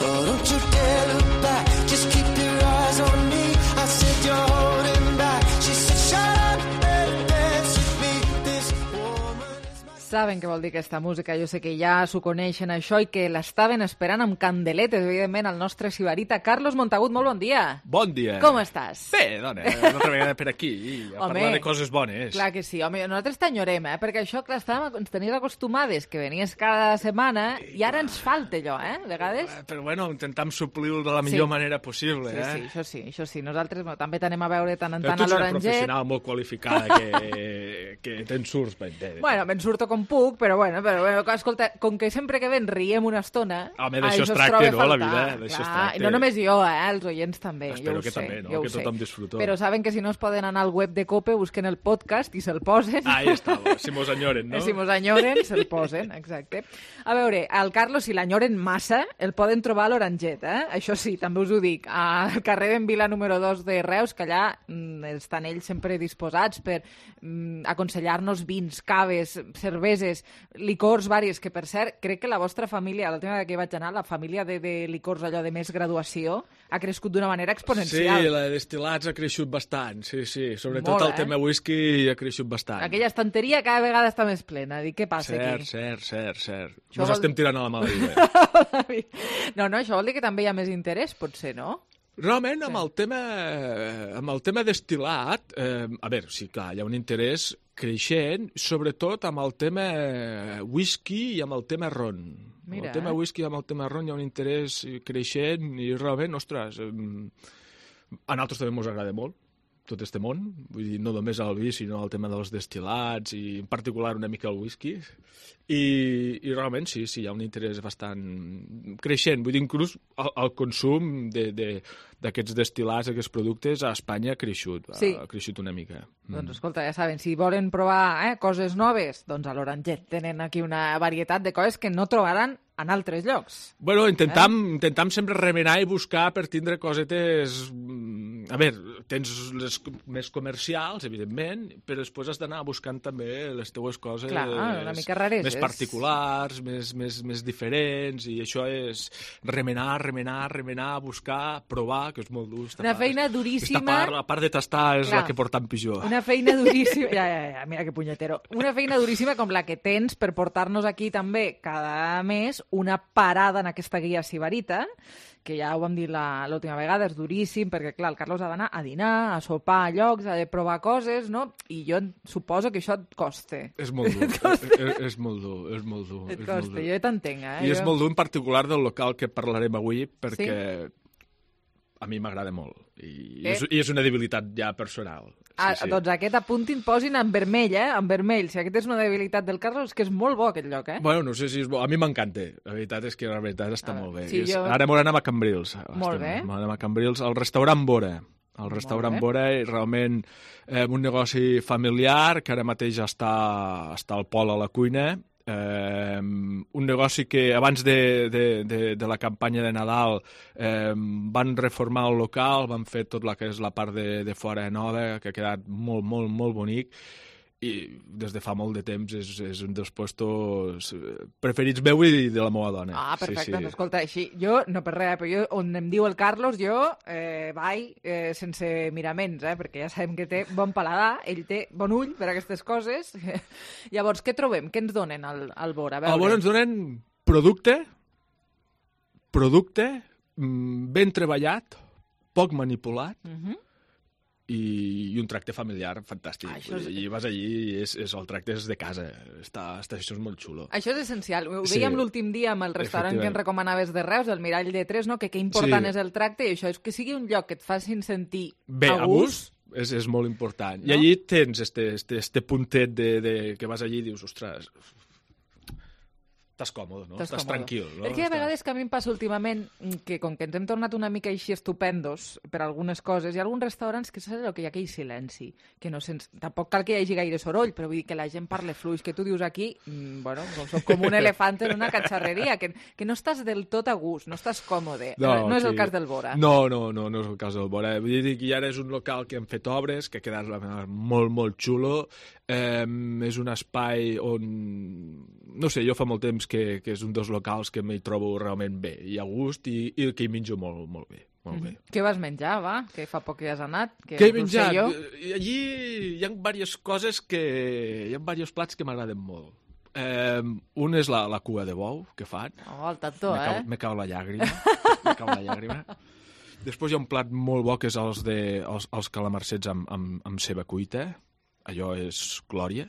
Oh, don't you dare look back, just keep your eyes on me. I said you're holding back. She said shut up and dance with me. This woman is my... Saben què vol dir aquesta música, jo sé que ja s'ho coneixen això i que l'estaven esperant amb candeletes, evidentment, el nostre sibarita. Carlos Montagut, molt bon dia. Bon dia. Com estàs? Bé, dona, una altra vegada per aquí, a home, parlar de coses bones. Clar que sí, home, nosaltres t'enyorem, eh? Perquè això, clar, estàvem, ens tenies acostumades, que venies cada setmana, i ara ens falta allò, eh? A vegades... Però bueno, intentam suplir-ho de la millor sí. manera possible, sí, eh? Sí, això sí, això sí. Nosaltres bueno, també t'anem a veure tant en tant a l'Oranget. Tu ets una professional molt qualificada, que, que te'n surts ben bé. Bueno, me'n surto com puc, però bueno, però, bueno, escolta, com que sempre que ven riem una estona... Home, d'això es tracta, no, la vida? D'això es tracta. I no només jo, eh? Els oients també. Espero jo que sé, també, no? Jo Que tothom disfruto. Però saben que si no es poden anar al web de Cope, busquen el podcast i se'l posen. Ahí està, si mos enyoren, no? Si mos enyoren, se'l posen, exacte. A veure, al Carlos, si l'enyoren massa, el poden trobar a l'Oranget, eh? Això sí, també us ho dic. Al carrer d'en Vila número dos de Reus, que allà mm, estan ells sempre disposats per mm, aconsellar-nos vins, caves, cerveses, licors varis, que per cert, crec que la vostra família, l'última vegada que hi vaig anar, la família de, de licors allò de més graduació, ha crescut d'una manera exponencial. Sí, la de destil·lats ha creixut bastant, sí, sí. Sobretot Molt, el tema eh? whisky ha creixut bastant. Aquella estanteria cada vegada està més plena. Dic, què passa cert, aquí? Cert, cert, cert. Això Ens vol... estem tirant a la mala vida. No, no, això vol dir que també hi ha més interès, potser, no? Realment, amb el tema, amb el tema destil·lat, eh, a veure, sí, clar, hi ha un interès creixent, sobretot amb el tema whisky i amb el tema ron. Mira, el tema eh? whisky i amb el tema ron hi ha un interès creixent i realment, ostres, eh, a nosaltres també ens agrada molt tot este món, vull dir, no només el vi, sinó el tema dels destil·lats i en particular una mica el whisky. I, i realment sí, sí, hi ha un interès bastant creixent. Vull dir, inclús el, el consum de, de, d'aquests destil·lats, d'aquests productes, a Espanya ha creixut, sí. ha creixut una mica. Doncs escolta, ja saben, si volen provar eh, coses noves, doncs a l'Oranget tenen aquí una varietat de coses que no trobaran en altres llocs. Bueno, intentam, eh? intentam sempre remenar i buscar per tindre cosetes... A veure, tens les més comercials, evidentment, però després has d'anar buscant també les teues coses Clar, una mica rareses. Més particulars, més, més, més diferents, i això és remenar, remenar, remenar, buscar, provar, que és molt dur. Una part, feina duríssima... Part, la part de tastar és Clar, la que porta en pitjor. Una feina duríssima... Ja, ja, ja, mira que punyetero. Una feina duríssima com la que tens per portar-nos aquí també cada mes una parada en aquesta guia sibarita, que ja ho vam dir l'última vegada, és duríssim, perquè, clar, el Carlos ha d'anar a dinar, a sopar a llocs, ha de provar coses, no? I jo suposo que això et costa. És molt dur, és, és molt dur, és molt dur. Et costa, jo t'entenc, eh? I jo... és molt dur en particular del local que parlarem avui, perquè... Sí? A mi m'agrada molt, i, eh? és, i és una debilitat ja personal. Ah, sí. Doncs aquest apuntin, posin en vermell, eh? En vermell. Si aquest és una debilitat del Carlos, és que és molt bo aquest lloc, eh? Bueno, no sé si és bo. A mi m'encanta. La veritat és que la veritat està molt bé. sí, És... jo- Ara m'ho anem a Cambrils. Molt Estem- bé. Anem a Cambrils, al restaurant Bora. El restaurant bé. Bora és realment eh, un negoci familiar que ara mateix està, està al pol a la cuina. Eh, un negoci que abans de, de, de, de la campanya de Nadal eh, van reformar el local, van fer tot el que és la part de, de fora nova, que ha quedat molt, molt, molt bonic, i des de fa molt de temps és, és un dels puestos preferits meu i de la meva dona. Ah, perfecte. Sí, Doncs sí. escolta, així, jo, no per res, però jo, on em diu el Carlos, jo eh, vaig eh, sense miraments, eh, perquè ja sabem que té bon paladar, ell té bon ull per a aquestes coses. Llavors, què trobem? Què ens donen al, al Bora? A veure. Al Bora ens donen producte, producte mm, ben treballat, poc manipulat, Uh -huh. i, i un tracte familiar fantàstic. Ah, això és- I vas allí i és, és, el tracte és de casa. Està, està, això és molt xulo. Això és essencial. Ho Sí. dèiem l'últim dia amb el restaurant que ens Efectivament. recomanaves de Reus, el Mirall de Tres, no? que què important Sí. és el tracte, i això és que sigui un lloc que et facin sentir Bé, a gust. és, és molt important. No? I allí tens este, este, este puntet de, de, que vas allí i dius, ostres, estàs còmode, no? Estàs, còmode. tranquil. No? Perquè hi ha Estàs- vegades que a mi em passa últimament que com que ens hem tornat una mica així estupendos per algunes coses, hi ha alguns restaurants que saps allò que hi ha aquell silenci, que no sents... tampoc cal que hi hagi gaire soroll, però vull dir que la gent parle fluix, que tu dius aquí, mm, bueno, com soc com un elefant en una catxarreria, que, que no estàs del tot a gust, no estàs còmode. No, no és el aquí- cas del Bora. No, no, no, no és el cas del Bora. Vull dir que ara és un local que han fet obres, que ha quedat molt, molt xulo. Eh, és un espai on... No sé, jo fa molt temps que, que és un dels locals que m'hi trobo realment bé i a gust i, i que hi menjo molt, molt bé. Molt bé. Què vas menjar, va? Que fa poc que has anat. Que Què he no ho sé menjat? jo. Eh, Allí hi ha diverses coses que... Hi ha diversos plats que m'agraden molt. Eh, un és la, la cua de bou que fan. Oh, el tanto, Me cau, eh? me cau la llàgrima. me cau la llàgrima. Després hi ha un plat molt bo que és els, de, els, els calamarsets amb, amb, amb ceba cuita. Allò és glòria.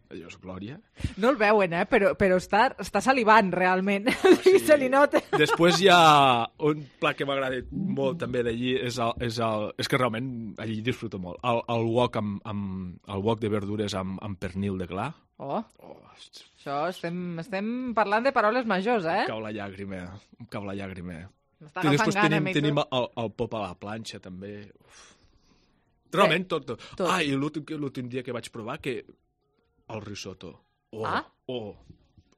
Allò és glòria. No el veuen, eh? Però, però està, està salivant, realment. Sí. Se li nota. Després hi ha un plat que m'agrada molt també d'allí, és, el, és, el, és que realment allí disfruto molt. El, el wok, amb, amb, el wok de verdures amb, amb pernil de gla. Oh, això estem, estem parlant de paraules majors, eh? Em cau la llàgrima, em cau la llàgrima. M'està I agafant després gana, tenim, mi, tu. tenim el, el pop a la planxa, també. Uf. Realment, tot, tot. tot. Ah, i l'últim que- l'últim dia que vaig provar, que el risotto. Oh, Ah? oh,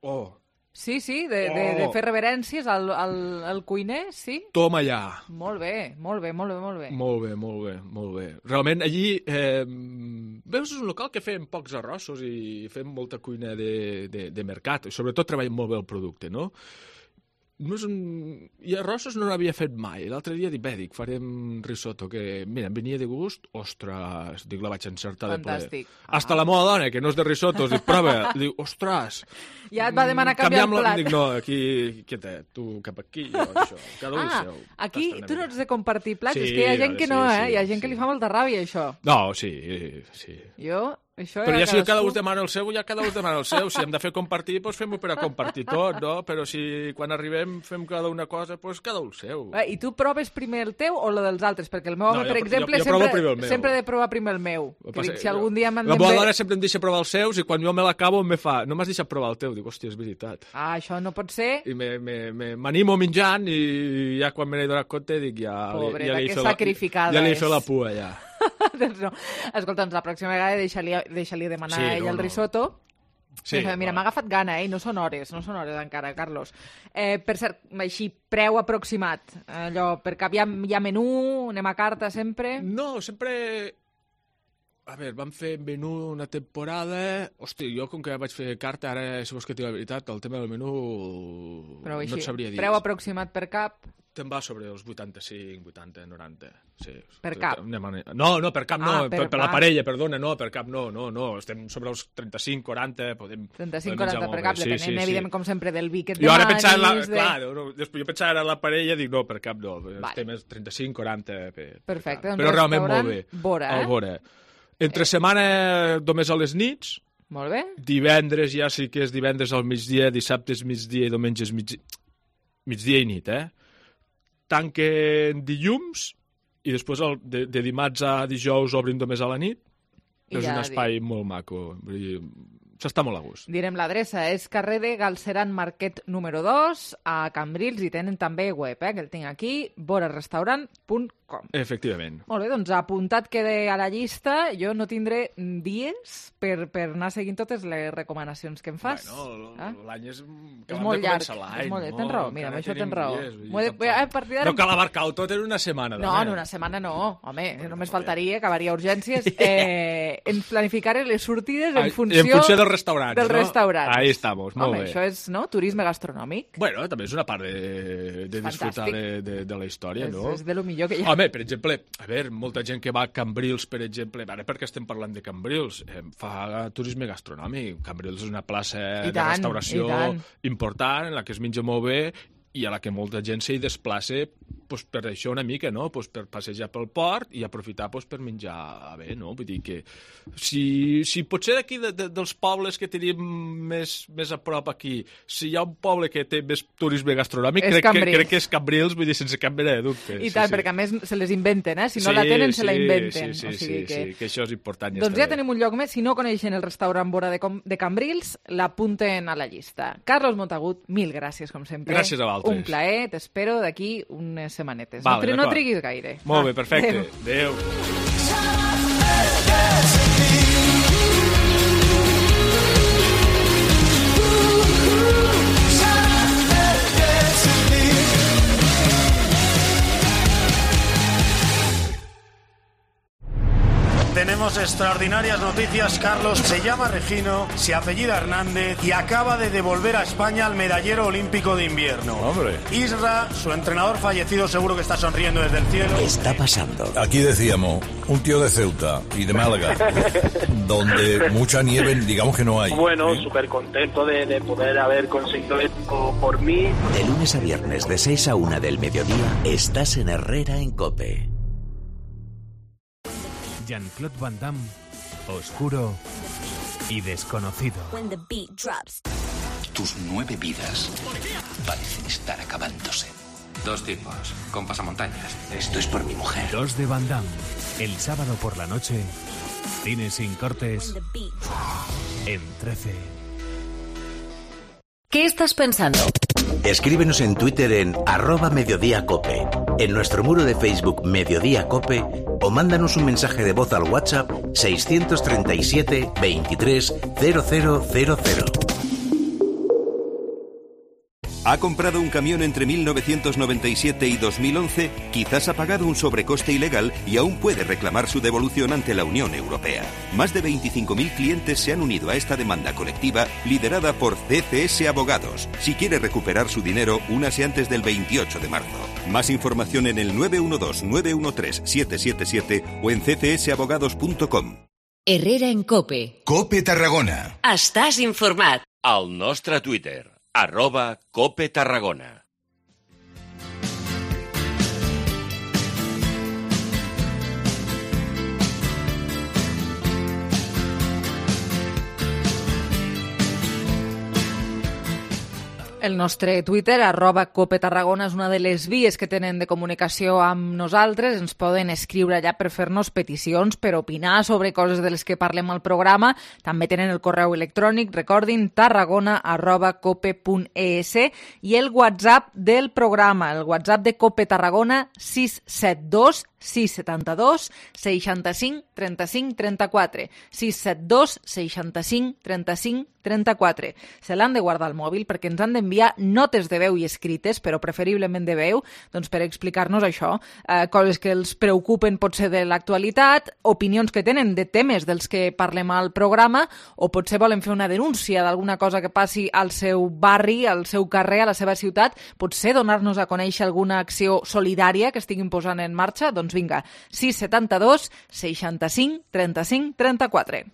oh. Sí, sí, de, de, de Oh. fer reverències al, al, al cuiner, sí. Toma allà. Molt bé, molt bé, molt bé, molt bé. Molt bé, molt bé, molt bé. Realment, allí, eh, veus, és un local que fem pocs arrossos i fem molta cuina de, de, de mercat, i sobretot treballem molt bé el producte, no? No és un... I arrossos no n'havia fet mai. L'altre dia dic, bé, dic, farem risotto, que, mira, em venia de gust, ostres, dic, la vaig encertar Fantàstic. de ple. Hasta la meva dona, que no és de risottos, dic, prova, dic, ostres. Ja et va demanar canviar el canviem la- plat. Dic, no, aquí, quieta, tu cap aquí, jo això, cada un Ah, seu. aquí Tasta una tu no mica. ets de compartir plats, Sí, és que hi ha gent que sí, no, eh? sí, Hi ha gent que li fa molta ràbia, això. No, sí, sí. Jo, això Però ja si cadascú... cada un demana el seu, ja cada un demana el seu. Si hem de fer compartir, doncs fem-ho per a compartir tot, no? Però si quan arribem fem cada una cosa, doncs cada un el seu. Eh, I tu proves primer el teu o el dels altres? Perquè el meu No, home, jo per pr- exemple, jo- jo provo sempre, primer el meu. sempre he de provar primer el meu. El Que passa- dic, si algun dia m'han La de... meva dona sempre em deixa provar els seus i quan jo me l'acabo me fa, no m'has deixat provar el teu. Dic, hòstia, és veritat. Ah, això no pot ser. I me- me- me- m'animo menjant i ja quan me n'he donat compte dic, ja, li- Pobreta, ja li he que fet la, sacrificada ja li he és. fet la pua, ja. doncs no. Escolta, doncs la pròxima vegada deixa-li deixa demanar Sí, a ell no, el no. risotto. Sí, Mira, bueno. m'ha agafat gana, eh? I no són hores, no són hores encara, Carlos. Eh, per cert, així, preu aproximat. Allò, per cap hi ha, hi ha menú, anem a carta sempre? No, sempre... A veure, vam fer menú una temporada... Hosti, jo com que vaig fer carta, ara, si vols que et digui la veritat, el tema del menú Però no així, et sabria dir. preu aproximat per cap? Te'n va sobre els vuitanta-cinc, vuitanta, noranta. Sí. Per cap? Anem a- No, no, per cap no, Ah, per, per per la cap. parella, perdona, no, per cap no, no, no, estem sobre els trenta-cinc, quaranta, podem... trenta-cinc podem menjar quaranta molt per bé. cap, depenent, evidentment, com sempre, del vi que et Jo ara demanis, pensava, en la, de- clar, no, després jo pensava ara en la parella, dic, no, per cap no, Vale. estem a trenta-cinc, quaranta per, per Perfecte, cap. doncs Però realment molt restaurant bé. Bora, eh? El Bora. Entre setmana només a les nits, Molt bé. divendres ja sí que és divendres al migdia, dissabtes migdia i diumenges migdia, migdia i nit, eh? Tanquen dilluns i després el, de, de dimarts a dijous obrin només a la nit. I és ja un espai molt maco. Vull dir, s'està molt a gust. Direm l'adreça, és carrer de Galceran Marquet número dos, a Cambrils, i tenen també web, eh, que el tinc aquí, borarestaurant punt com. Efectivament. Molt bé, doncs apuntat quede a la llista, jo no tindré dies per, per anar seguint totes les recomanacions que em fas. Bueno, ah? l'any és... És molt llarg, és molt llarg. Tens raó, mira, amb això tens raó. De... A partir no cal abarcar-ho tot en una setmana. No, en una setmana no, home, només faltaria, acabaria urgències. Eh, en planificar les sortides en funció... En funció dels restaurants, dels no? restaurants. Ahí estamos, molt home, bé. Això és, no?, turisme gastronòmic. Bueno, també és una part de, de disfrutar de, de, de la història, és, no? És de lo millor que hi ha. Home, per exemple, a veure, molta gent que va a Cambrils, per exemple, ara perquè estem parlant de Cambrils, eh, fa turisme gastronòmic. Cambrils és una plaça I de tant, restauració important, en la que es menja molt bé i a la que molta gent s'hi desplaça pues, per això una mica, no? Pues, per passejar pel port i aprofitar pues, per menjar bé, no? Vull dir que si, si potser d'aquí de, de, dels pobles que tenim més, més a prop aquí, si hi ha un poble que té més turisme gastronòmic, crec que, crec que és Cambrils, vull dir, sense cap mena de dubte. I sí, tant, sí. perquè a més se les inventen, eh? Si no sí, la tenen, sí, se la inventen. Sí, sí, o sigui sí, que... sí, que això és important. Doncs ja tenim un lloc més. Si no coneixen el restaurant Vora de, Com de Cambrils, l'apunten a la llista. Carlos Montagut, mil gràcies, com sempre. Gràcies a vosaltres. Un plaer, t'espero d'aquí unes setmanetes. Vale, no, no triguis gaire. Molt bé, perfecte. Adéu. Tenemos extraordinarias noticias. Carlos se llama Regino, se apellida Hernández y acaba de devolver a España al medallero olímpico de invierno. Hombre. Isra, su entrenador fallecido, seguro que está sonriendo desde el cielo. ¿Qué está pasando? Aquí decíamos, un tío de Ceuta y de Málaga, donde mucha nieve, digamos que no hay. Bueno, súper contento de, de poder haber conseguido esto por mí. De lunes a viernes, de seis a una del mediodía, estás en Herrera en COPE. Jean-Claude Van Damme, oscuro y desconocido. Tus nueve vidas parecen estar acabándose. Dos tipos, con pasamontañas. Esto es por mi mujer. Dos de Van Damme, el sábado por la noche, cine sin cortes, en trece. ¿Qué estás pensando? Escríbenos en Twitter en arroba Mediodía Cope, en nuestro muro de Facebook Mediodía Cope o mándanos un mensaje de voz al WhatsApp seiscientos treinta y siete veintitrés cero cero cero cero. ¿Ha comprado un camión entre mil novecientos noventa y siete y dos mil once? Quizás ha pagado un sobrecoste ilegal y aún puede reclamar su devolución ante la Unión Europea. Más de veinticinco mil clientes se han unido a esta demanda colectiva liderada por C C S Abogados. Si quiere recuperar su dinero, únase antes del veintiocho de marzo. Más información en el nueve uno dos nueve uno tres siete siete siete o en c c s abogados punto com. Herrera en COPE. COPE Tarragona. Estàs informat. Al nostre Twitter, arroba Cope Tarragona. El nostre Twitter, arroba Cope Tarragona, és una de les vies que tenen de comunicació amb nosaltres. Ens poden escriure allà per fer-nos peticions, per opinar sobre coses de les que parlem al programa. També tenen el correu electrònic, recordin, tarragona arroba cope punt e s, i el WhatsApp del programa, el WhatsApp de Cope Tarragona, sis set dos sis set dos seixanta-cinc trenta-cinc trenta-quatre, sis set dos seixanta-cinc trenta-cinc trenta-quatre. Se l'han de guardar al mòbil perquè ens han d'enviar notes de veu i escrites, però preferiblement de veu, doncs per explicar-nos això, eh, coses que els preocupen potser de l'actualitat, opinions que tenen de temes dels que parlem al programa, o potser volen fer una denúncia d'alguna cosa que passi al seu barri, al seu carrer, a la seva ciutat, potser donar-nos a conèixer alguna acció solidària que estiguin posant en marxa, doncs vinga, sis set dos seixanta-cinc trenta-cinc trenta-quatre.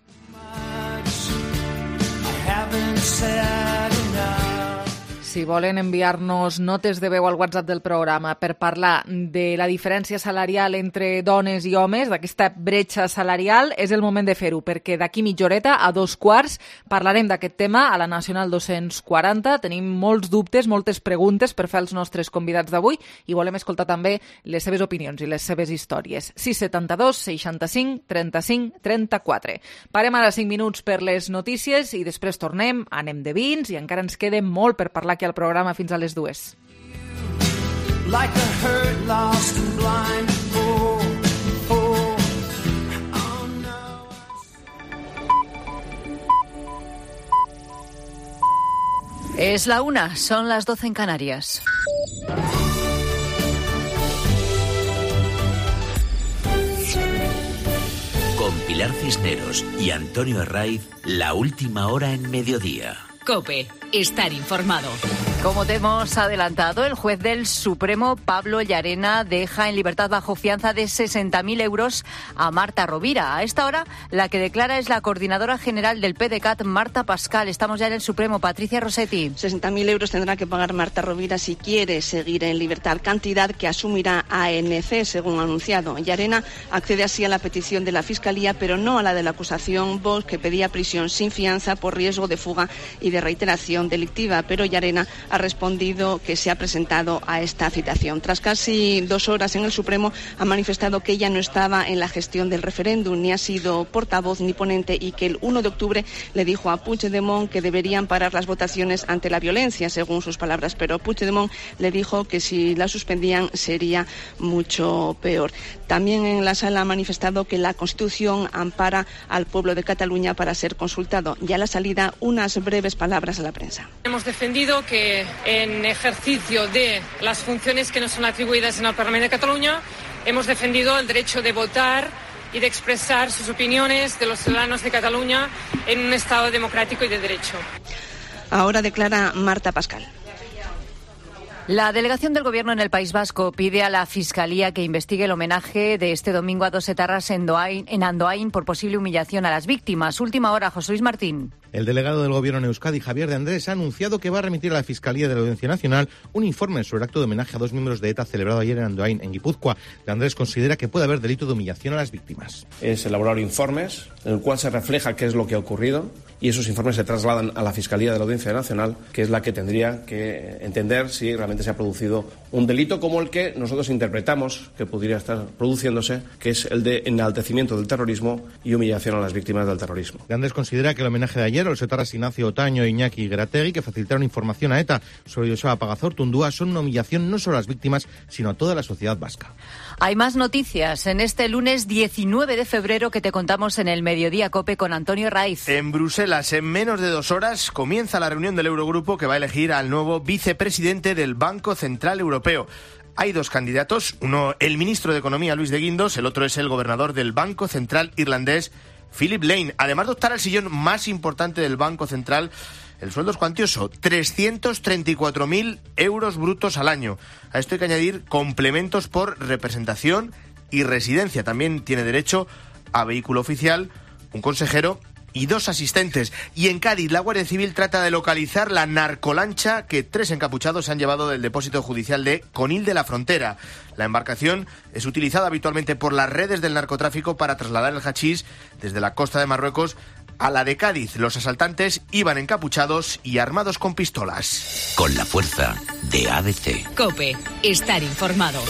Si volen enviar-nos notes de veu al WhatsApp del programa per parlar de la diferència salarial entre dones i homes, d'aquesta bretxa salarial, és el moment de fer-ho, perquè d'aquí mitja horeta, a dos quarts, parlarem d'aquest tema a la Nacional dos-cents quaranta. Tenim molts dubtes, moltes preguntes per fer als nostres convidats d'avui i volem escoltar també les seves opinions i les seves històries. sis setanta-dos seixanta-cinc trenta-cinc trenta-quatre. Parem ara cinc minuts per les notícies i després tornem, anem de vins i encara ens queda molt per parlar aquí al programa fins a les dues. Like a hurt, lost and blind. Oh, oh, oh no. Es la una, son las doce en Canarias. Con Pilar Cisneros y Antonio Herraiz, la última hora en Mediodía. COPE, estar informado. Como te hemos adelantado, el juez del Supremo, Pablo Llarena, deja en libertad bajo fianza de sesenta mil euros a Marta Rovira. A esta hora, la que declara es la coordinadora general del PDeCAT, Marta Pascal. Estamos ya en el Supremo. Patricia Rossetti. sesenta mil euros tendrá que pagar Marta Rovira si quiere seguir en libertad, cantidad que asumirá A N C, según ha anunciado. Llarena accede así a la petición de la Fiscalía, pero no a la de la acusación Vox, que pedía prisión sin fianza por riesgo de fuga y de reiteración delictiva. Pero Llarena ha respondido que se ha presentado a esta citación. Tras casi dos horas en el Supremo, ha manifestado que ella no estaba en la gestión del referéndum, ni ha sido portavoz ni ponente, y que el uno de octubre le dijo a Puigdemont que deberían parar las votaciones ante la violencia, según sus palabras. Pero Puigdemont le dijo que si la suspendían sería mucho peor. También en la sala ha manifestado que la Constitución ampara al pueblo de Cataluña para ser consultado. Y a la salida, unas breves palabras a la prensa. Hemos defendido que en ejercicio de las funciones que nos son atribuidas en el Parlamento de Cataluña, hemos defendido el derecho de votar y de expresar sus opiniones de los ciudadanos de Cataluña en un Estado democrático y de derecho. Ahora declara Marta Pascal. La delegación del Gobierno en el País Vasco pide a la Fiscalía que investigue el homenaje de este domingo a dos etarras en, Doain, en Andoain por posible humillación a las víctimas. Última hora, José Luis Martín. El delegado del Gobierno en Euskadi, Javier de Andrés, ha anunciado que va a remitir a la Fiscalía de la Audiencia Nacional un informe sobre el acto de homenaje a dos miembros de ETA celebrado ayer en Andoain, en Guipúzcoa. De Andrés considera que puede haber delito de humillación a las víctimas. Es elaborar informes en el cual se refleja qué es lo que ha ocurrido y esos informes se trasladan a la Fiscalía de la Audiencia Nacional, que es la que tendría que entender si realmente se ha producido un delito como el que nosotros interpretamos que podría estar produciéndose, que es el de enaltecimiento del terrorismo y humillación a las víctimas del terrorismo. De Andrés considera que el homenaje de ayer a los etarras Ignacio Otaño e Iñaki Gerategui, que facilitaron información a ETA sobre Joseba Pagazortundúa, son una humillación no solo a las víctimas, sino a toda la sociedad vasca. Hay más noticias en este lunes diecinueve de febrero que te contamos en el Mediodía COPE con Antonio Raiz. En Bruselas, en menos de dos horas, comienza la reunión del Eurogrupo que va a elegir al nuevo vicepresidente del Banco Central Europeo. Hay dos candidatos, uno el ministro de Economía, Luis de Guindos, el otro es el gobernador del Banco Central irlandés, Philip Lane. Además de optar al sillón más importante del Banco Central, el sueldo es cuantioso, trescientos treinta y cuatro mil euros brutos al año. A esto hay que añadir complementos por representación y residencia. También tiene derecho a vehículo oficial, un consejero y dos asistentes. Y en Cádiz, la Guardia Civil trata de localizar la narcolancha que tres encapuchados se han llevado del depósito judicial de Conil de la Frontera. La embarcación es utilizada habitualmente por las redes del narcotráfico para trasladar el hachís desde la costa de Marruecos a la de Cádiz. Los asaltantes iban encapuchados y armados con pistolas. Con la fuerza de A D C. COPE, estar informado.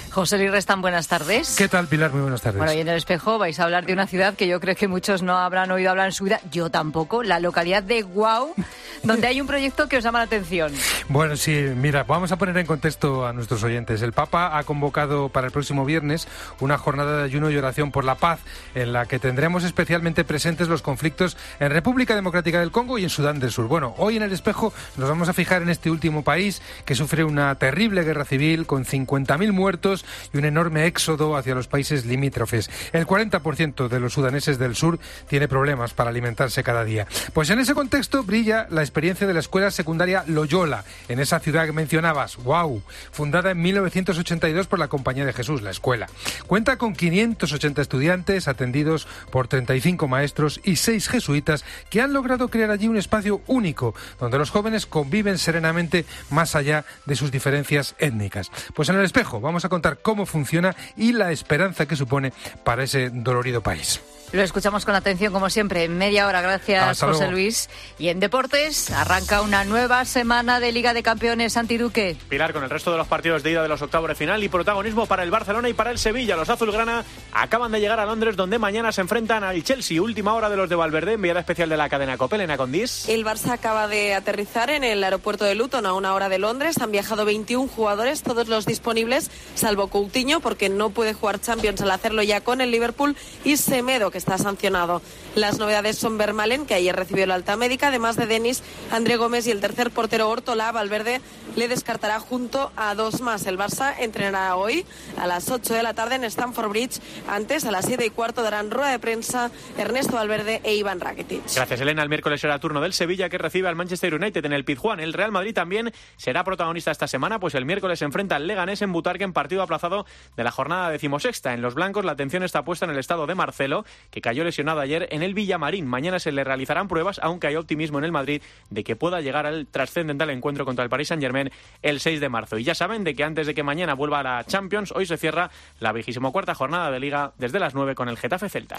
José Luis Restán, buenas tardes. ¿Qué tal, Pilar? Muy buenas tardes. Bueno, y en El Espejo vais a hablar de una ciudad que yo creo que muchos no habrán oído hablar en su vida, yo tampoco, la localidad de Guau, donde hay un proyecto que os llama la atención. Bueno, sí, mira, vamos a poner en contexto a nuestros oyentes. El Papa ha convocado para el próximo viernes una jornada de ayuno y oración por la paz, en la que tendremos especialmente presentes los conflictos en República Democrática del Congo y en Sudán del Sur. Bueno, hoy en El Espejo nos vamos a fijar en este último país que sufre una terrible guerra civil con cincuenta mil muertos y un enorme éxodo hacia los países limítrofes. El cuarenta por ciento de los sudaneses del sur tiene problemas para alimentarse cada día. Pues en ese contexto brilla la experiencia de la escuela secundaria Loyola, en esa ciudad que mencionabas, wow, fundada en mil novecientos ochenta y dos por la Compañía de Jesús, la escuela. Cuenta con quinientos ochenta estudiantes atendidos por treinta y cinco maestros y seis jesuitas que han logrado crear allí un espacio único donde los jóvenes conviven serenamente más allá de sus diferencias étnicas. Pues en El Espejo vamos a contar cómo funciona y la esperanza que supone para ese dolorido país. Lo escuchamos con atención, como siempre, en media hora. Gracias, Hasta José luego. Luis. Y en deportes, arranca una nueva semana de Liga de Campeones. Santi Duque. Pilar, con el resto de los partidos de ida de los octavos de final y protagonismo para el Barcelona y para el Sevilla. Los azulgrana acaban de llegar a Londres, donde mañana se enfrentan al Chelsea. Última hora de los de Valverde, enviada especial de la cadena COPE, Elena Condís. El Barça acaba de aterrizar en el aeropuerto de Luton a una hora de Londres. Han viajado veintiún jugadores, todos los disponibles, salvo Coutinho, porque no puede jugar Champions al hacerlo ya con el Liverpool, y Semedo, que está sancionado. Las novedades son Vermaelen, que ayer recibió la alta médica, además de Denis, André Gómez y el tercer portero Ortola. Valverde le descartará junto a dos más. El Barça entrenará hoy a las ocho de la tarde en Stamford Bridge. Antes, a las siete y cuarto, darán rueda de prensa Ernesto Valverde e Iván Rakitic. Gracias, Elena. El miércoles será turno del Sevilla, que recibe al Manchester United en el Pizjuán. El Real Madrid también será protagonista esta semana, pues el miércoles se enfrenta al Leganés en Butarque en partido aplazado de la jornada decimosexta. En los blancos la atención está puesta en el estado de Marcelo, que cayó lesionado ayer en el Villamarín. Mañana se le realizarán pruebas, aunque hay optimismo en el Madrid de que pueda llegar al trascendental encuentro contra el Paris Saint-Germain el seis de marzo. Y ya saben de que antes de que mañana vuelva a la Champions, hoy se cierra la vigésimo cuarta jornada de Liga desde las nueve con el Getafe Celta.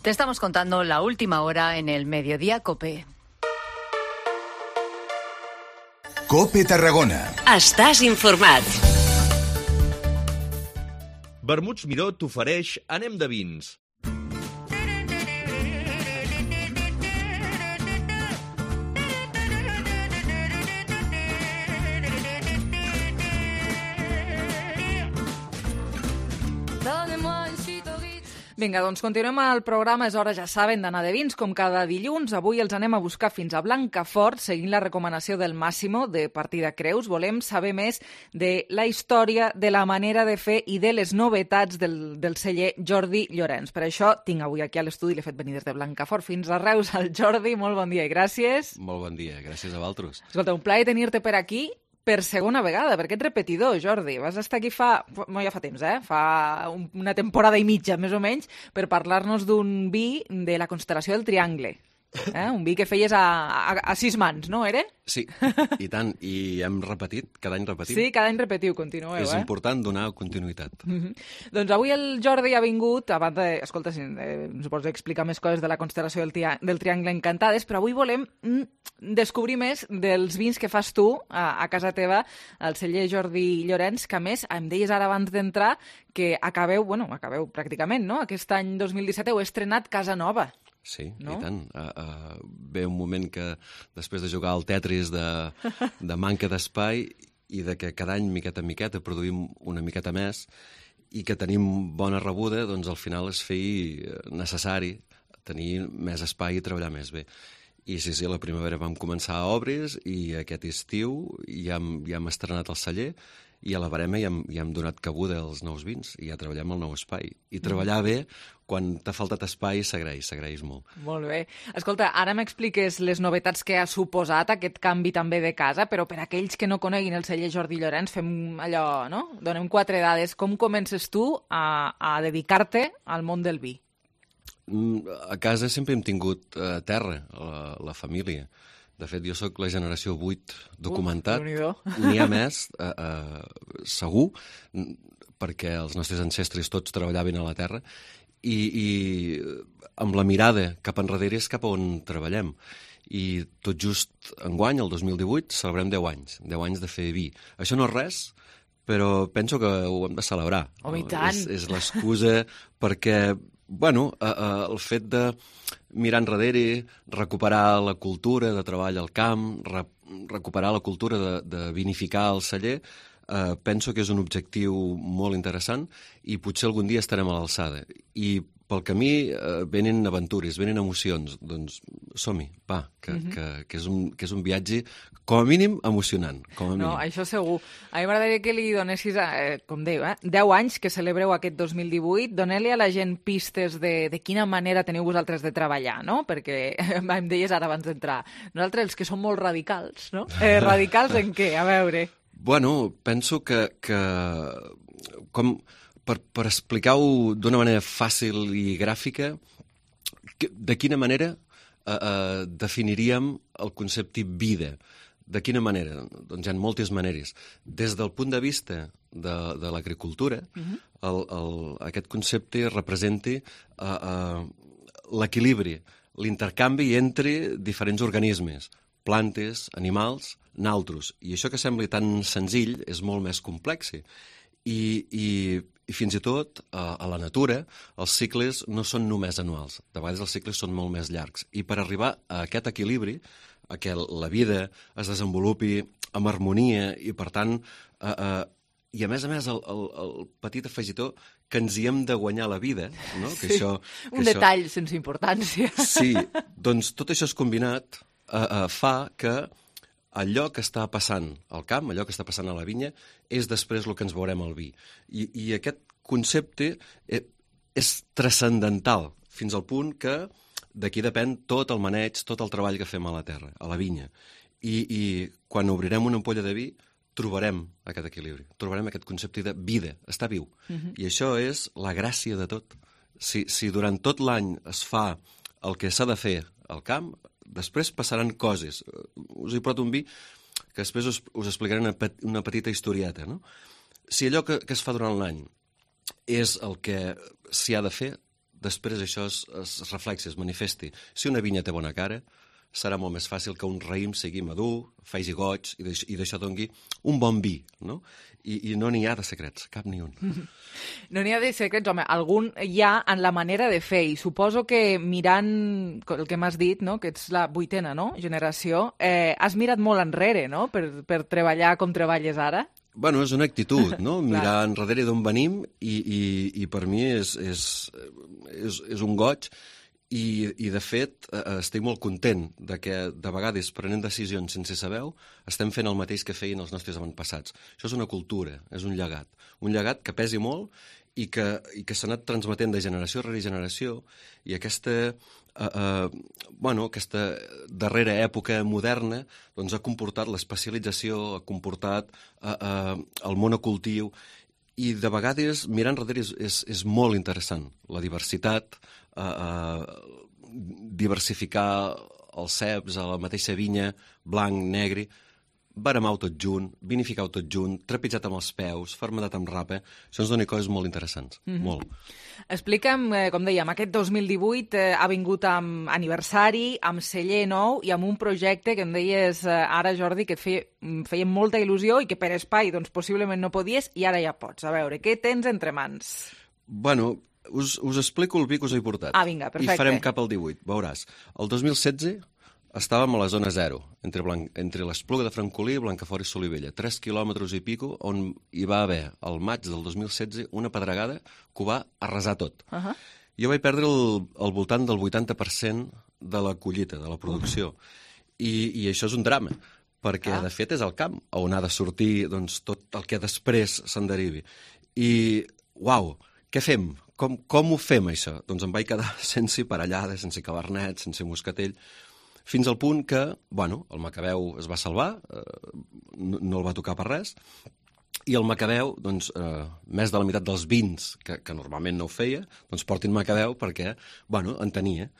Te estamos contando la última hora en el Mediodía COPE. COPE Tarragona. Estàs informat. Vermuts Miró t'ofereix Anem de vins. Vinga, doncs continuem el programa. És hora, ja saben, d'anar de vins, com cada dilluns. Avui els anem a buscar fins a Blancafort, seguint la recomanació del Massimo, de Partida Creus. Volem saber més de la història, de la manera de fer i de les novetats del, del celler Jordi Llorenç. Per això tinc avui aquí a l'estudi, l'he fet venir des de Blancafort fins a Reus, al Jordi. Molt bon dia i gràcies. Molt bon dia, gràcies a vosaltres. Escolta, un plaer tenir-te per aquí per segona vegada, perquè ets repetidor, Jordi. Vas estar aquí fa... No, ja fa temps, eh? Fa una temporada i mitja, més o menys, per parlar-nos d'un vi de la constel·lació del Triangle. Eh? Un vi que feies a, a, a sis mans, no, era? Sí, i tant. I hem repetit, cada any repetim. Sí, cada any repetiu, continueu, És eh? És important donar continuïtat. Mm-hmm. Doncs avui el Jordi ha vingut, abans de, escolta, si, eh, suposo explicar més coses de la constel·lació del, tia, del Triangle Encantades, però avui volem mm, descobrir més dels vins que fas tu a, a casa teva, al celler Jordi Llorenç, que a més, em deies ara abans d'entrar que acabeu, bueno, acabeu pràcticament, no? Aquest any dos mil disset heu estrenat Casa Nova. Sí, no? I tant. Uh, uh, ve un moment que després de jugar al Tetris de, de manca d'espai i de que cada any, miqueta en miqueta, produïm una miqueta més i que tenim bona rebuda, doncs al final es feia necessari tenir més espai i treballar més bé. I sí, sí, a la primavera vam començar a obris i aquest estiu ja hem, ja hem estrenat el celler i a la barema ja hem, ja hem donat cabuda als nous vins i ja treballem el nou espai. I treballar bé, quan t'ha faltat espai, s'agraeix, s'agraeix molt. Molt bé. Escolta, ara m'expliques les novetats que ha suposat aquest canvi també de casa, però per aquells que no coneguin el celler Jordi Llorenç, fem allò, no? Donem quatre dades. Com comences tu a, a dedicar-te al món del vi? A casa sempre hem tingut uh, terra, la, la família. De fet, jo sóc la generació vuit documentat. Uf, n'hi ha més, uh, uh, segur, perquè els nostres ancestres tots treballaven a la terra, i, i amb la mirada cap enrere és cap on treballem. I tot just enguany, el dos mil divuit, celebrem deu anys, deu anys de fer vi. Això no és res, però penso que ho hem de celebrar. Oh, i tant! És, és l'excusa perquè, bueno, uh, uh, el fet de mirar enrere, recuperar la cultura de treball al camp, re recuperar la cultura de, de vinificar al celler, eh, penso que és un objectiu molt interessant i potser algun dia estarem a l'alçada. I pel camí eh, venen aventures, venen emocions. Doncs som-hi, va, que, Mhm. que, que, és un, que és un viatge com a mínim emocionant. Com a mínim. No, això segur. A mi m'agradaria que li donessis, eh, com deia, eh, deu anys que celebreu aquest dos mil divuit. Doneu-li a la gent pistes de, de quina manera teniu vosaltres de treballar, no? Perquè em deies ara abans d'entrar. Nosaltres, els que som molt radicals, no? Eh, radicals en què? A veure... Bueno, penso que, que com, per, per explicar-ho d'una manera fàcil i gràfica, que, de quina manera eh, eh, definiríem el concepte vida? De quina manera? Doncs hi ha moltes maneres. Des del punt de vista de, de l'agricultura, Mhm. el, el, aquest concepte representa eh, eh, l'equilibri, l'intercanvi entre diferents organismes, plantes, animals, naltros. I això que sembla tan senzill és molt més complex. I, i, i fins i tot a, a la natura els cicles no són només anuals. De vegades els cicles són molt més llargs. I per arribar a aquest equilibri, a que la vida es desenvolupi amb harmonia i, per tant, eh, eh, i a més a més el, el, el petit afegitó que ens hi hem de guanyar la vida, no? Que Sí, això, que un això... detall sense importància. Sí, doncs tot això és combinat eh, eh, fa que allò que està passant al camp, allò que està passant a la vinya, és després el que ens veurem al vi. I, i aquest concepte eh, és transcendental, fins al punt que d'aquí depèn tot el maneig, tot el treball que fem a la terra, a la vinya. I, i quan obrirem una ampolla de vi, trobarem aquest equilibri, trobarem aquest concepte de vida, està viu. Mhm. I això és la gràcia de tot. Si, si durant tot l'any es fa el que s'ha de fer al camp, després passaran coses. Us hi porto un vi que després us, us explicaré una, pet, una petita historieta. No? Si allò que, que es fa durant l'any és el que s'hi ha de fer, després això es, es reflexi, es manifesti. Si una vinya té bona cara, serà molt més fàcil que un raïm sigui madur, faci goig i d'això, i d'això dongui un bon vi, no? I, i no n'hi ha de secrets, cap ni un. No n'hi ha de secrets, home, algun hi ha en la manera de fer, i suposo que mirant el que m'has dit, no? Que ets la vuitena, no?, generació, eh, has mirat molt enrere, no?, per, per treballar com treballes ara. Bueno, és una actitud, no? Mirar enrere d'on venim i, i, i per mi és, és, és, és un goig. I, i de fet, eh, estic molt content de que, de vegades, prenent decisions sense saber-ho, estem fent el mateix que feien els nostres avantpassats. Això és una cultura, és un llegat. Un llegat que pesi molt i que, i que s'ha anat transmetent de generació rere generació, i aquesta, eh, eh, bueno, aquesta darrera època moderna doncs, ha comportat l'especialització, ha comportat eh, eh, el monocultiu, i de vegades mirar enrere és, és, és molt interessant. La diversitat, eh, eh, diversificar els ceps a la mateixa vinya, blanc, negre, baremar-ho tot junt, vinificar-ho tot junt, trepitjat amb els peus, fermentat amb rapa, això ens dona coses molt interessants, Mhm. molt. Explica'm, eh, com dèiem, aquest dos mil divuit eh, ha vingut amb aniversari, amb celler nou i amb un projecte que em deies eh, ara, Jordi, que et feia, em feia molta il·lusió i que per espai doncs, possiblement no podies i ara ja pots. A veure, què tens entre mans? Bueno, us, us explico el vi que us he portat. Ah, vinga, perfecte. I farem cap al divuit, veuràs. El dos mil setze estàvem a la zona zero, entre, Blanc, entre l'Espluga de Francolí, Blancafort i Solivella, tres quilòmetres i pico, on hi va haver, al maig del dos mil setze, una pedregada que ho va arrasar tot. Uh -huh. Jo vaig perdre el, al voltant del vuitanta per cent de la collita, de la producció. I, i això és un drama, perquè, ah. de fet, és el camp on ha de sortir doncs, tot el que després se'n derivi. I, uau, què fem? Com, com ho fem, això? Doncs em vaig quedar sense parellada, sense cabernet, sense moscatell, fins al punt que, bueno, el Macabeu es va salvar, eh, no, no el va tocar per res, i el Macabeu, doncs, eh, més de la meitat dels vins, que, que normalment no ho feia, doncs portin Macabeu perquè, bueno, en tenia.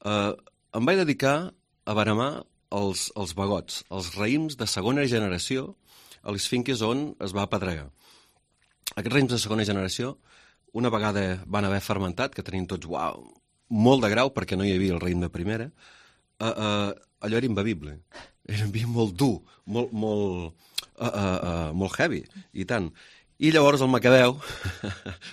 Eh, em vaig dedicar a baremar els, els bagots, els raïms de segona generació a les finques on es va apedregar. Aquests raïms de segona generació, una vegada van haver fermentat, que tenien tots, uau, molt de grau perquè no hi havia el raïm de primera, Uh, uh, allò era imbevible. Era un vi molt dur, molt, molt, uh, uh, uh, molt heavy, i tant. I llavors el Macabeu,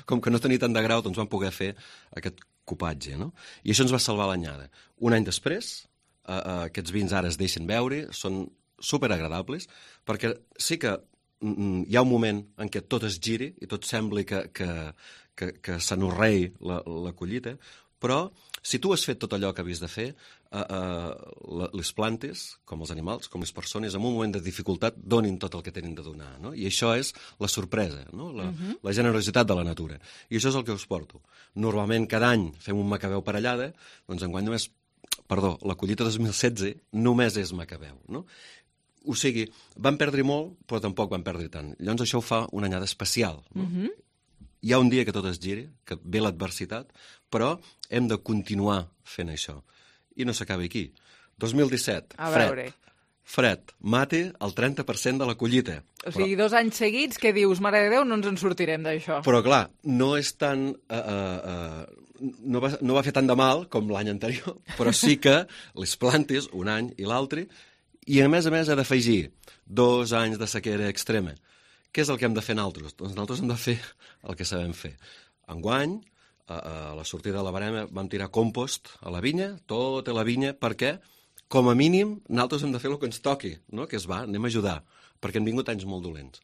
com que no tenia tant de grau, doncs van poder fer aquest copatge, no? I això ens va salvar l'anyada. Un any després, uh, uh, aquests vins ara es deixen beure, són superagradables, perquè sí que mm, hi ha un moment en què tot es giri i tot sembli que, que, que, que s'anorrei la, la collita, però si tu has fet tot allò que havies de fer, eh, eh, les plantes, com els animals, com les persones, en un moment de dificultat donin tot el que tenen de donar, no? I això és la sorpresa, no? la, uh-huh. la generositat de la natura. I això és el que us porto. Normalment cada any fem un macabeu parellada, doncs enguany només, perdó, la collita dos mil setze només és macabeu, no? O sigui, van perdre molt, però tampoc van perdre tant. Llavors això ho fa una anyada especial, no? Uh-huh. Hi ha un dia que tot es giri, que ve l'adversitat, però hem de continuar fent això. I no s'acaba aquí. dos mil disset, A fred. veure. Fred, mate el trenta per cent de la collita. O sigui, dos anys seguits que dius, mare de Déu, no ens en sortirem d'això. Però, clar, no és tan... Uh, uh, uh, no, va, no va fer tant de mal com l'any anterior, però sí que les plantes, un any i l'altre, i a més a més ha d'afegir dos anys de sequera extrema. Què és el que hem de fer nosaltres? Doncs nosaltres hem de fer el que sabem fer. Enguany, a, a la sortida de la barema, vam tirar compost a la vinya, tota la vinya, perquè, com a mínim, nosaltres hem de fer el que ens toqui, no? Que es va, anem a ajudar, perquè han vingut anys molt dolents.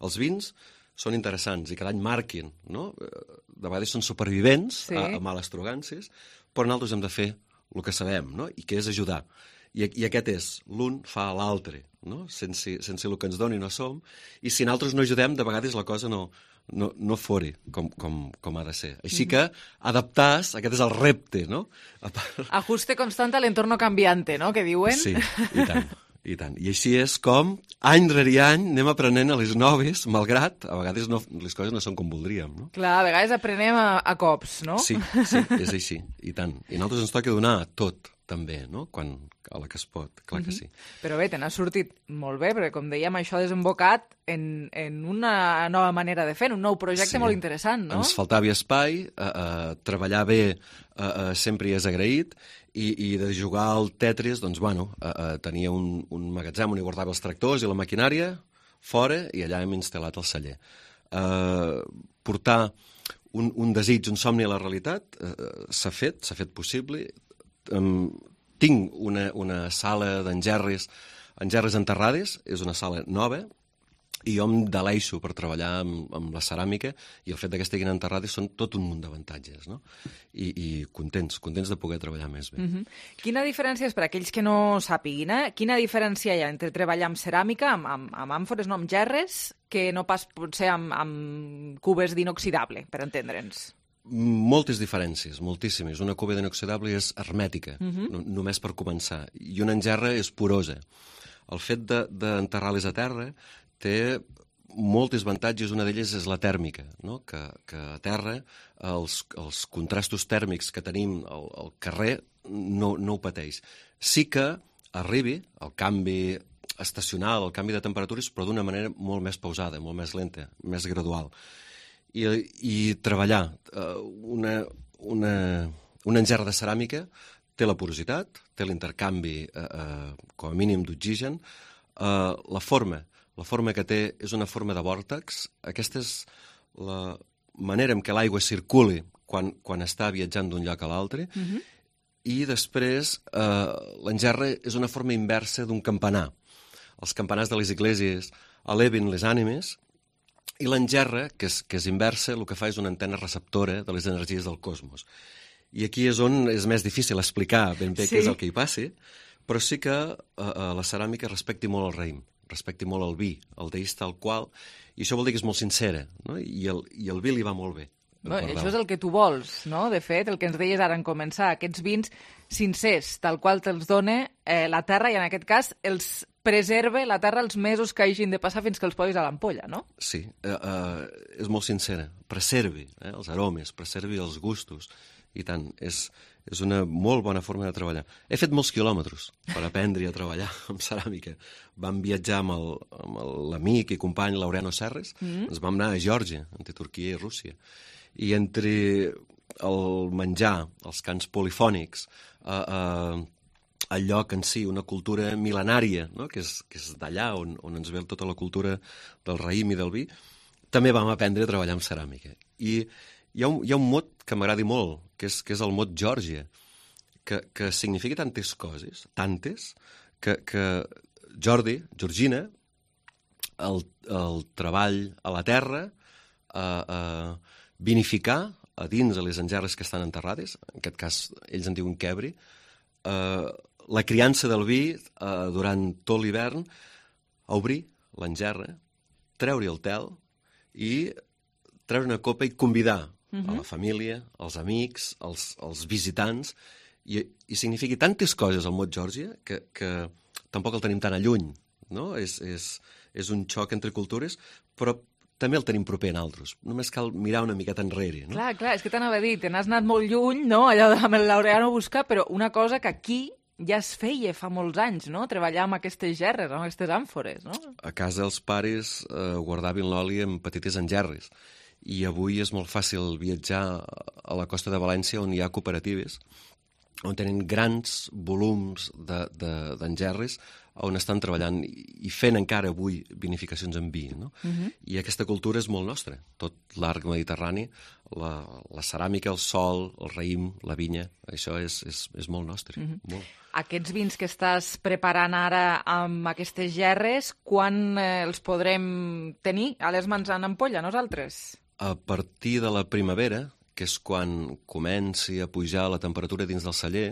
Els vins són interessants i cada any marquin, no? De vegades són supervivents sí. a, a males trogances, però nosaltres hem de fer el que sabem, no? I que és ajudar. I, i aquest és, l'un fa l'altre, no? Sense, sense el que ens doni no som, i si nosaltres no ajudem, de vegades la cosa no, no, no fori com, com, com ha de ser. Així que adaptar-se, aquest és el repte, no? Ajuste constant a l'entorno canviante, no?, que diuen. Sí, i tant, i tant. I així és com, any rere any, anem aprenent a les noves, malgrat, a vegades no, les coses no són com voldríem, no? Clar, a vegades aprenem a, a cops, no? Sí, sí, és així, i tant. I a nosaltres ens toca donar tot, també, no?, quan, a la que es pot, clar que sí. Però bé, te n'ha sortit molt bé, perquè com dèiem, això ha desembocat en, en una nova manera de fer, un nou projecte sí. molt interessant, no? Ens faltava espai, eh, eh, treballar bé eh, eh, sempre hi és agraït, i, i de jugar al Tetris, doncs, bueno, eh, eh, tenia un, un magatzem on hi guardava els tractors i la maquinària, fora, i allà hem instal·lat el celler. Eh, portar un, un desig, un somni a la realitat, eh, s'ha fet, s'ha fet possible. Um, tinc una, una sala d'engerres, engerres enterrades, és una sala nova, i jo em deleixo per treballar amb, amb la ceràmica, i el fet que estiguin enterrades són tot un munt d'avantatges, no? I, i contents, contents de poder treballar més bé. Uh-huh. Quina diferència és, per aquells que no sàpiguin, eh? Quina diferència hi ha entre treballar amb ceràmica, amb, amb, amb àmfores, no amb gerres, que no pas potser amb, amb cubes d'inoxidable, per entendre'ns? Moltes diferències, moltíssimes. Una cuba d'inoxidable és hermètica, uh-huh. no, només per començar, i una engerra és porosa. El fet d'enterrar-les de, a terra té moltes avantatges, una d'elles és la tèrmica, no? que, que a terra els, els contrastos tèrmics que tenim al, al carrer no, no ho pateix. Sí que arribi el canvi estacional, el canvi de temperatures, però d'una manera molt més pausada, molt més lenta, més gradual. I, i treballar uh, una, una, una engerra de ceràmica té la porositat, té l'intercanvi uh, uh, com a mínim d'oxigen, uh, la forma, la forma que té és una forma de vòrtex. Aquesta és la manera en què l'aigua circuli quan, quan està viatjant d'un lloc a l'altre, uh-huh. i després uh, l'engerra és una forma inversa d'un campanar. Els campanars de les esglésies eleven les ànimes, i l'engerra, que és, que és inversa, el que fa és una antena receptora de les energies del cosmos. I aquí és on és més difícil explicar ben bé sí. què és el que hi passi, però sí que eh, la ceràmica respecti molt el raïm, respecti molt el vi, el deix tal qual, i això vol dir que és molt sincera, no? I, el, i el vi li va molt bé. No, això és el que tu vols, no? De fet, el que ens deies ara en començar, aquests vins sincers, tal qual te'ls dona eh, la terra, i en aquest cas els preserve la terra els mesos que hagin de passar fins que els posis a l'ampolla, no? Sí, eh, eh, és molt sincera. Preservi eh, els aromes, preservi els gustos, i tant, és, és una molt bona forma de treballar. He fet molts quilòmetres per aprendre a treballar amb ceràmica. Vam viatjar amb el, amb l'amic i company Laureano Serres, mm-hmm. ens vam anar a Geòrgia, entre Turquia i Rússia. I entre el menjar, els cants polifònics, eh, eh, el lloc en si, una cultura mil·lenària, no? que és, que és d'allà on, on ens ve tota la cultura del raïm i del vi, també vam aprendre a treballar amb ceràmica. I hi ha un, hi ha un mot que m'agradi molt, que és, que és el mot Geòrgia, que, que significa tantes coses, tantes, que, que Jordi, Georgina, el, el treball a la terra, eh, eh, vinificar a dins de les engerres que estan enterrades, en aquest cas ells en diuen quebri, eh, la criança del vi eh, durant tot l'hivern, obrir l'engerra, treure el tel i treure una copa i convidar uh-huh. a la família, als amics, als, als visitants, i, i significa tantes coses al mot Geòrgia que, que tampoc el tenim tan a lluny, no? És, és, és un xoc entre cultures, però també el tenim proper en altres. Només cal mirar una miqueta enrere. No? Clar, clar, és que t'anava a dir, te n'has anat molt lluny, no?, allò amb el Laureano a buscar, però una cosa que aquí ja es feia fa molts anys, no?, treballar amb aquestes gerres, amb aquestes àmfores, no? A casa els pares eh, guardaven l'oli en petites engerres, i avui és molt fàcil viatjar a la costa de València, on hi ha cooperatives, on tenen grans volums d'engerres, de, de, on estan treballant i fent encara avui vinificacions en vi. No? Uh-huh. I aquesta cultura és molt nostra. Tot l'arc mediterrani, la, la ceràmica, el sol, el raïm, la vinya, això és, és, és molt nostre. Uh-huh. Molt. Aquests vins que estàs preparant ara amb aquestes gerres, quan eh, els podrem tenir a les mans en ampolla, nosaltres? A partir de la primavera, que és quan comenci a pujar la temperatura dins del celler,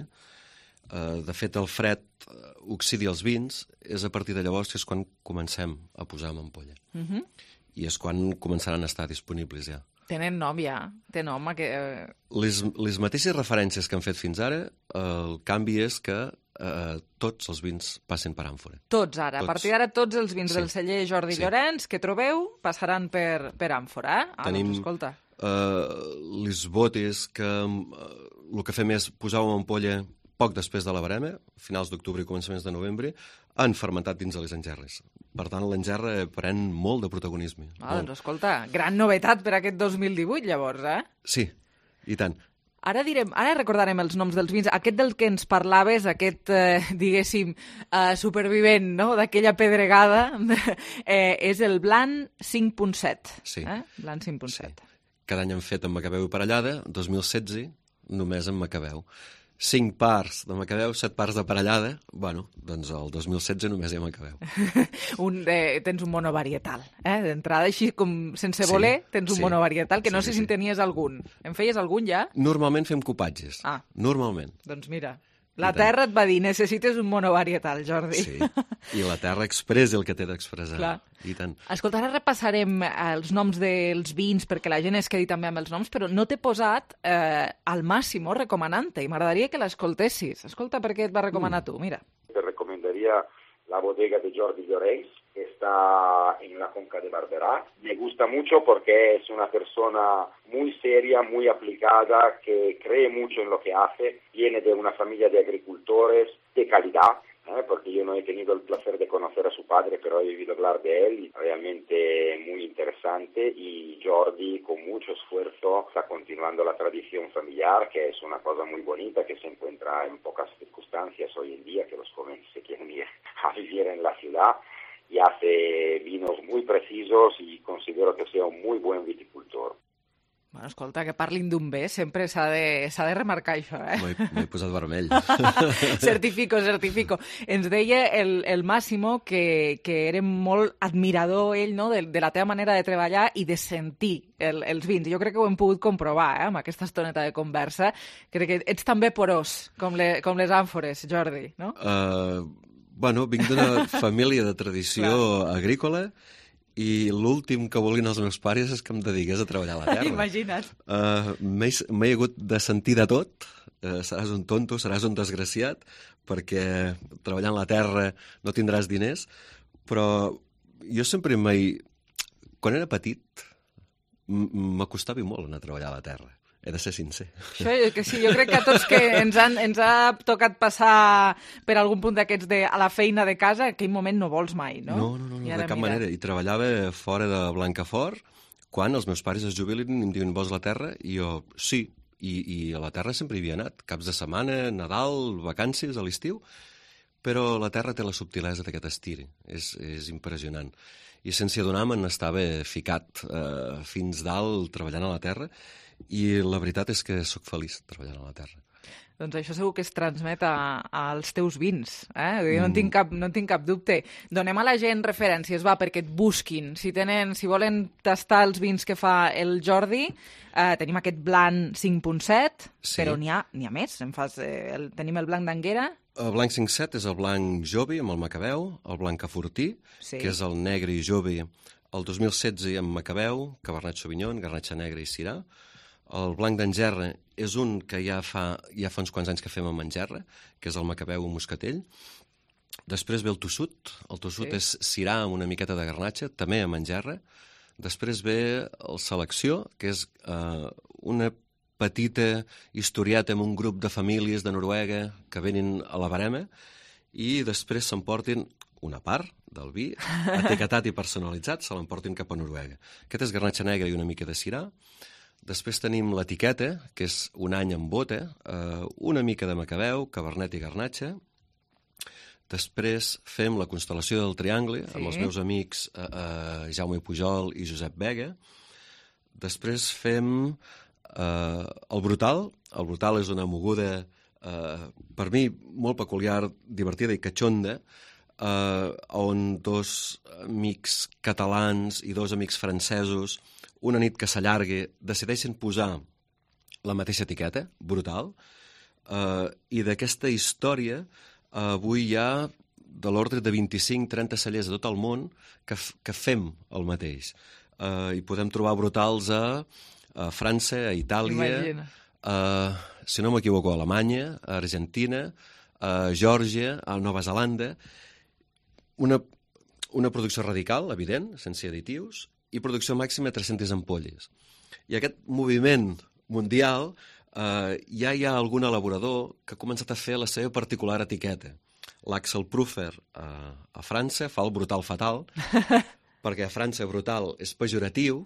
eh, de fet el fred oxidi els vins, és a partir de llavors que és quan comencem a posar en ampolla. Uh-huh. I és quan començaran a estar disponibles ja. Tenen nom ja, té nom. Que... Les, les mateixes referències que han fet fins ara, el canvi és que eh, tots els vins passen per àmfora. Tots ara, tots. A partir d'ara tots els vins sí. del celler Jordi sí. Llorenç que trobeu passaran per, per àmfora. Eh? Ah, Tenim... doncs, escolta. Uh, les botes que uh, el que fem és posar-ho en ampolla poc després de la barema, finals d'octubre i començaments de novembre, han fermentat dins de les engerres. Per tant, l'engerra pren molt de protagonisme. Ah, doncs escolta, gran novetat per aquest dos mil divuit, llavors, eh? Sí, i tant. Ara direm, ara recordarem els noms dels vins. Aquest del que ens parlaves, aquest, eh, diguéssim, eh, supervivent, no?, d'aquella pedregada, eh, és el Blanc cinc punt set. Sí. Eh? Blanc cinc punt set. Sí. Cada any han fet amb Macabeu i Parellada, dos mil setze només amb Macabeu. Cinc parts de Macabeu, set parts de Parellada, bueno, doncs el dos mil setze només hi ha Macabeu. un, eh, tens un monovarietal, eh? D'entrada, així com sense sí, voler, tens un sí, monovarietal, que no sí, sé sí, si en tenies algun. En feies algun ja? Normalment fem copatges, ah. normalment. Doncs mira... La terra et va dir, necessites un monovarietal, Jordi. Sí, i la terra expressa el que té d'expressar. I tant. Escolta, ara repassarem els noms dels vins perquè la gent es quedi també amb els noms, però no t'he posat eh, al Massimo recomanant-te i m'agradaria que l'escoltessis. Escolta, per què et va recomanar mm. tu, mira. Te recomendaría la bodega de Jordi Llorenç, que está en la Conca de Barberá. Me gusta mucho porque es una persona muy seria, muy aplicada, que cree mucho en lo que hace, viene de una familia de agricultores de calidad, ¿eh? Porque yo no he tenido el placer de conocer a su padre, pero he oído hablar de él, y realmente muy interesante, y Jordi con mucho esfuerzo está continuando la tradición familiar, que es una cosa muy bonita, que se encuentra en pocas circunstancias hoy en día, que los jóvenes se quieren ir a vivir en la ciudad, y hace vinos muy precisos y considero que sea un muy buen viticultor. Bueno, escolta, que parlin d'un bé, sempre s'ha de, s'ha de remarcar això, eh? M'he posat vermell. certifico, certifico. Ens deia el, el Massimo que, que era molt admirador ell, no?, de, de la teva manera de treballar i de sentir el, els vins. Jo crec que ho hem pogut comprovar, eh?, amb aquesta estoneta de conversa. Crec que ets també porós, com, le, com les àmfores, Jordi, no? Uh, bueno, vinc d'una família de tradició agrícola, i l'últim que volien els meus pares és que em dediqués a treballar a la terra. Imagina't. Uh, M'he hagut de sentir de tot. Uh, seràs un tonto, seràs un desgraciat, perquè treballant la terra no tindràs diners, però jo sempre m'he... Quan era petit, m'acostava molt anar a treballar a la terra. He de ser sincer. Això que sí, jo crec que a tots que ens, han, ens ha tocat passar per algun punt d'aquests de, a la feina de casa, en aquell moment no vols mai, no? No, no, no, no de cap mira. manera. I treballava fora de Blancafort, quan els meus pares es jubilen i em diuen vols la terra, i jo sí, i, i a la terra sempre hi havia anat, caps de setmana, Nadal, vacances, a l'estiu, però la terra té la subtilesa d'aquest estir, és, és impressionant. I sense adonar-me'n estava ficat eh, fins dalt treballant a la terra, i la veritat és que sóc feliç treballant a la terra. Doncs això segur que es transmet a, als teus vins, eh? Jo no en tinc cap, no en tinc cap dubte. Donem a la gent referències, va, perquè et busquin. Si tenen, si volen tastar els vins que fa el Jordi, eh, tenim aquest blanc cinc punt set, Sí. però n'hi ha, n'hi ha més. Em fas, eh, el, tenim el blanc d'Anguera. El blanc cinc set és el blanc Jovi amb el Macabeu, el blanc Cafortí, Sí. que és el negre i Jovi, el dos mil setze amb Macabeu, Cabernet Sauvignon, Garnatxa Negra i Syrah. El blanc d'Angerra és un que ja fa, ja fa uns quants anys que fem amb Angerra, que és el Macabeu Moscatell. Després ve el Tossut. El Tossut Sí. és Syrah amb una miqueta de Garnatxa, també amb Angerra. Després ve el Selecció, que és eh, una petita historieta amb un grup de famílies de Noruega que venen a la barema i després s'emportin una part del vi, etiquetat i personalitzat, se l'emportin cap a Noruega. Aquest és Garnatxa Negra i una mica de Syrah. Després tenim l'etiqueta, que és un any en bota, eh, una mica de Macabeu, Cabernet i Garnatxa. Després fem la constel·lació del Triangle, sí. amb els meus amics eh, eh, Jaume Pujol i Josep Vega. Després fem eh, el Brutal. El Brutal és una moguda, eh, per mi, molt peculiar, divertida i catxonda, eh, on dos amics catalans i dos amics francesos, una nit que s'allarga, decideixen posar la mateixa etiqueta, Brutal, eh, i d'aquesta història eh, avui hi ha de l'ordre de vint-i-cinc trenta cellers de tot el món que, f que fem el mateix. Eh, I podem trobar Brutals a, a França, a Itàlia, a, si no m'equivoco, a Alemanya, a Argentina, a Geòrgia, a Nova Zelanda. Una, una producció radical, evident, sense additius, i producció màxima de tres-centes ampolles. I aquest moviment mundial eh, ja hi ha algun elaborador que ha començat a fer la seva particular etiqueta. L'Axel Prüfer eh, a França fa el Brutal fatal, perquè a França Brutal és pejoratiu,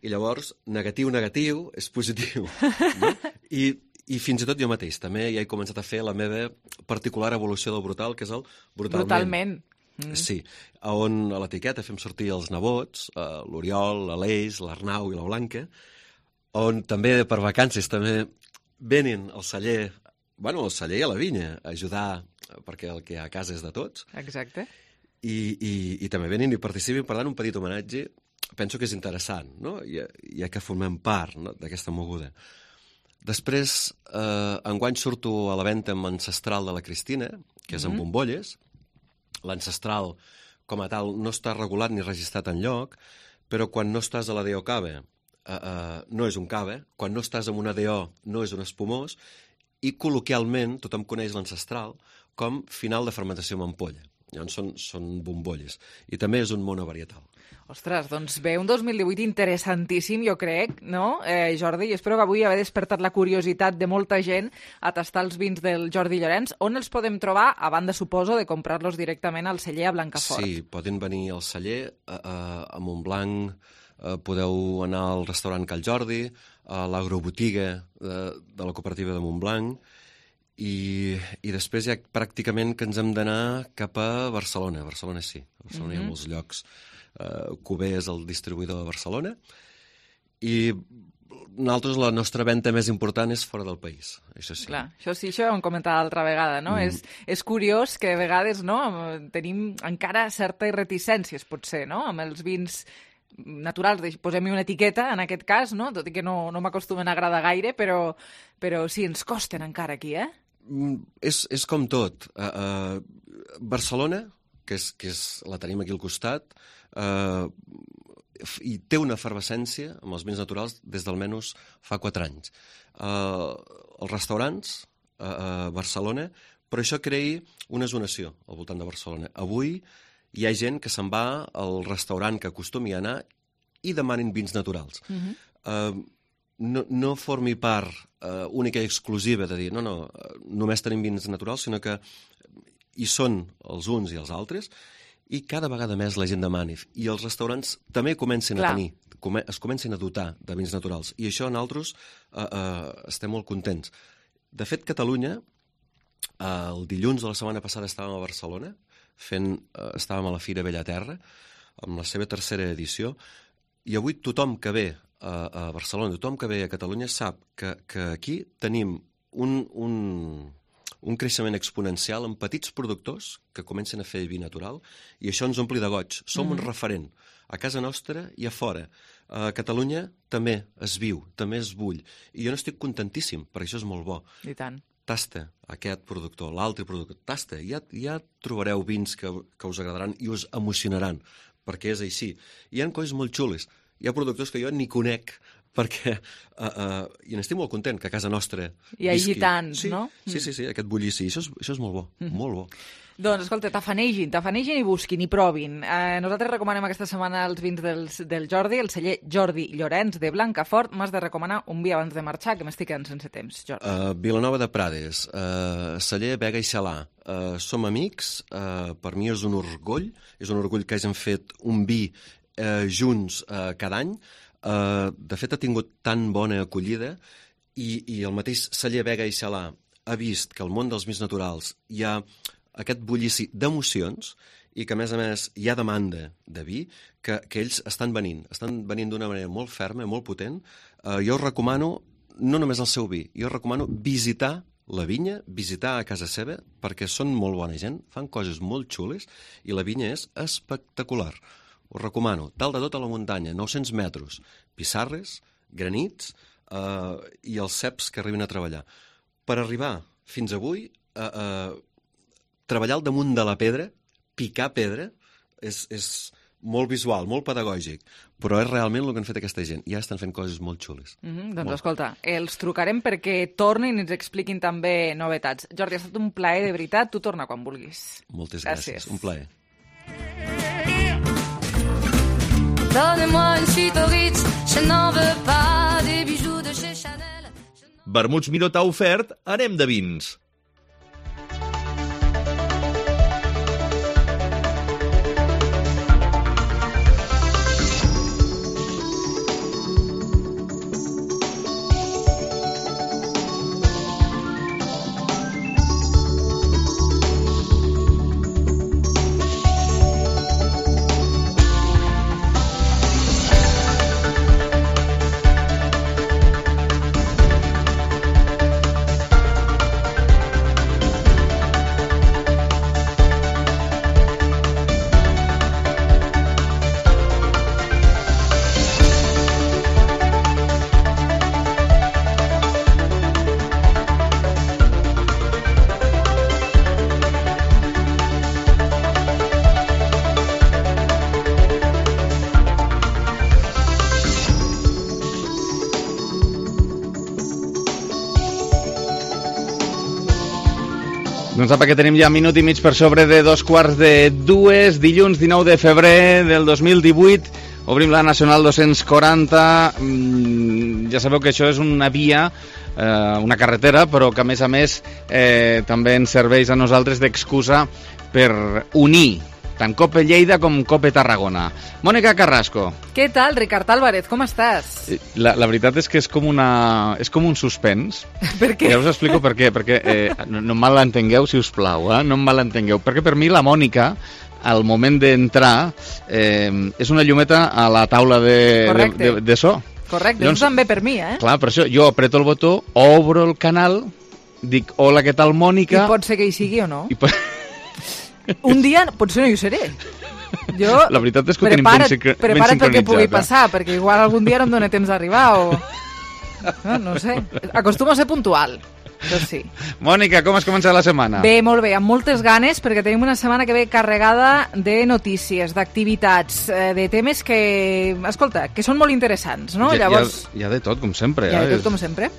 i llavors negatiu-negatiu és positiu. No? I, I fins i tot jo mateix també ja he començat a fer la meva particular evolució del Brutal, que és el Brutalment. Brutalment. Mm. Sí, on a l'etiqueta fem sortir els nebots, eh, l'Oriol, l'Aleix, l'Arnau i la Blanca, on també per vacances també venen al celler, bueno, al celler i a la vinya, a ajudar, perquè el que hi ha a casa és de tots. Exacte. I, i, i també venen i participen, per tant, un petit homenatge, penso que és interessant, no? Ja, ja que formem part, no?, d'aquesta moguda. Després, eh, enguany surto a la venda amb Ancestral de la Cristina, que és mm-hmm. amb bombolles. L'ancestral, com a tal, no està regulat ni registrat enlloc, però quan no estàs a la D O cava, eh, eh, no és un cava, quan no estàs en una D O no és un espumós, i col·loquialment tothom coneix l'ancestral com final de fermentació amb ampolla. Llavors són, són bombolles. I també és un monovarietal. Ostres, doncs ve un dos mil divuit interessantíssim, jo crec, no, eh, Jordi? I espero que avui haver despertat la curiositat de molta gent a tastar els vins del Jordi Llorenç. On els podem trobar, a banda, suposo, de comprar-los directament al celler a Blancafort? Sí, poden venir al celler, a, a, a Montblanc, a, podeu anar al restaurant Cal Jordi, a l'agrobotiga de, de la cooperativa de Montblanc, i, i després ja pràcticament que ens hem d'anar cap a Barcelona. Barcelona sí, a Barcelona mm-hmm. hi ha molts llocs. Uh, Cuber és el distribuïdor de Barcelona, i nosaltres la nostra venda més important és fora del país, això sí. Clar, això sí, això ho hem comentat l'altra vegada, no? Mm. És, és curiós que a vegades, no?, tenim encara certes reticències, potser, no?, amb els vins naturals, posem-hi una etiqueta, en aquest cas, no?, tot i que no, no m'acostumen a agradar gaire, però, però sí, ens costen encara aquí, eh? Mm, és, és com tot. Uh, uh, Barcelona, que, és, que és, la tenim aquí al costat, Uh, i té una efervescència amb els vins naturals des d'almenys fa quatre anys. Uh, els restaurants a uh, uh, Barcelona, però això crea una zonació al voltant de Barcelona. Avui hi ha gent que se'n va al restaurant que acostumi a anar i demanen vins naturals. Mm-hmm. uh, no, no formi part uh, única i exclusiva de dir no, no, només tenim vins naturals, sinó que hi són els uns i els altres, i cada vegada més la gent demani. I els restaurants també comencen Clar. a tenir, come, es comencen a dotar de vins naturals. I això nosaltres uh, uh, estem molt contents. De fet, Catalunya, uh, el dilluns de la setmana passada estàvem a Barcelona, fent, uh, estàvem a la Fira Bellaterra, amb la seva tercera edició, i avui tothom que ve a, a Barcelona, tothom que ve a Catalunya sap que, que aquí tenim un, un, un creixement exponencial en petits productors que comencen a fer vi natural i això ens ompli de goig. Som mm-hmm. un referent a casa nostra i a fora. A Catalunya també es viu, també es bull. I jo n'estic contentíssim, perquè això és molt bo. I tant. Tasta aquest productor, l'altre productor, tasta, ja, ja trobareu vins que, que us agradaran i us emocionaran, perquè és així. Hi ha coses molt xules, hi ha productors que jo ni conec, perquè, uh, uh, i n'estic molt content que a casa nostra hi hagi tants, sí, no? Sí, sí, sí, aquest bullici, això és, això és molt bo, mm. molt bo. Doncs, escolta, tafanegin, tafanegin i busquin i provin. Eh, nosaltres recomanem aquesta setmana els vins del, del Jordi, el celler Jordi Llorenç de Blancafort. M'has de recomanar un vi abans de marxar, que m'estic quedant sense temps, Jordi. Uh, Vilanova de Prades, uh, celler Vega i Xalà. Uh, som amics, uh, per mi és un orgull, és un orgull que hagin fet un vi uh, junts uh, cada any. Uh, de fet, ha tingut tan bona acollida i, i el mateix celler Vega i Xalà ha vist que al món dels vins naturals hi ha aquest bullici d'emocions i que, a més a més, hi ha demanda de vi que, que ells estan venint. Estan venint d'una manera molt ferma, molt potent. Uh, jo us recomano, no només el seu vi, jo us recomano visitar la vinya, visitar a casa seva, perquè són molt bona gent, fan coses molt xules i la vinya és espectacular. Us recomano, dalt de tot a la muntanya, nou-cents metres, pissarres, granits uh, i els ceps que arriben a treballar. Per arribar fins avui, uh, uh, treballar al damunt de la pedra, picar pedra, és, és molt visual, molt pedagògic, però és realment el que han fet aquesta gent. Ja estan fent coses molt xules. Mm-hmm, doncs molt. Escolta, els trucarem perquè tornin i ens expliquin també novetats. Jordi, ha estat un plaer de veritat. Tu torna quan vulguis. Moltes gràcies. gràcies. Un plaer. Donnez-moi une suite au Ritz, je n'en veux pas des bijoux de chez Chanel. Vermuts Miró t'ha ofert Anem de vins. Doncs apa, que tenim ja minut i mig per sobre de dos quarts de dues, dilluns dinou de febrer del dos mil divuit, obrim la Nacional dos-cents quaranta, mm, ja sabeu que això és una via, eh, una carretera, però que a més a més eh, també ens serveix a nosaltres d'excusa per unir tant Cope Lleida com Cope Tarragona. Mònica Carrasco. Què tal, Ricard Álvarez? Com estàs? La, la veritat és que és com, una, és com un suspens. Per què? Ja us explico per què. Perquè, eh, no, no em malentengueu, si us plau, eh? no em malentengueu. Perquè per mi la Mònica, al moment d'entrar, eh, és una llumeta a la taula de, de, de, de so. Correcte, doncs, també per mi, eh? Clar, per això jo apreto el botó, obro el canal, dic, hola, què tal, Mònica? I pot ser que hi sigui o no? I pot... Un dia potser no hi seré. Jo, la veritat és que prepara't, ho tenim ben, prepara't ben perquè pugui eh? passar, perquè igual algun dia no em dóna temps d'arribar o... No, no sé. Acostumo a ser puntual. Doncs sí. Mònica, com has començat la setmana? Bé, molt bé, amb moltes ganes, perquè tenim una setmana que ve carregada de notícies, d'activitats, de temes que, escolta, que són molt interessants, no? Hi, Llavors... hi, ha, hi ha de tot, com sempre. Hi ha de tot, com sempre.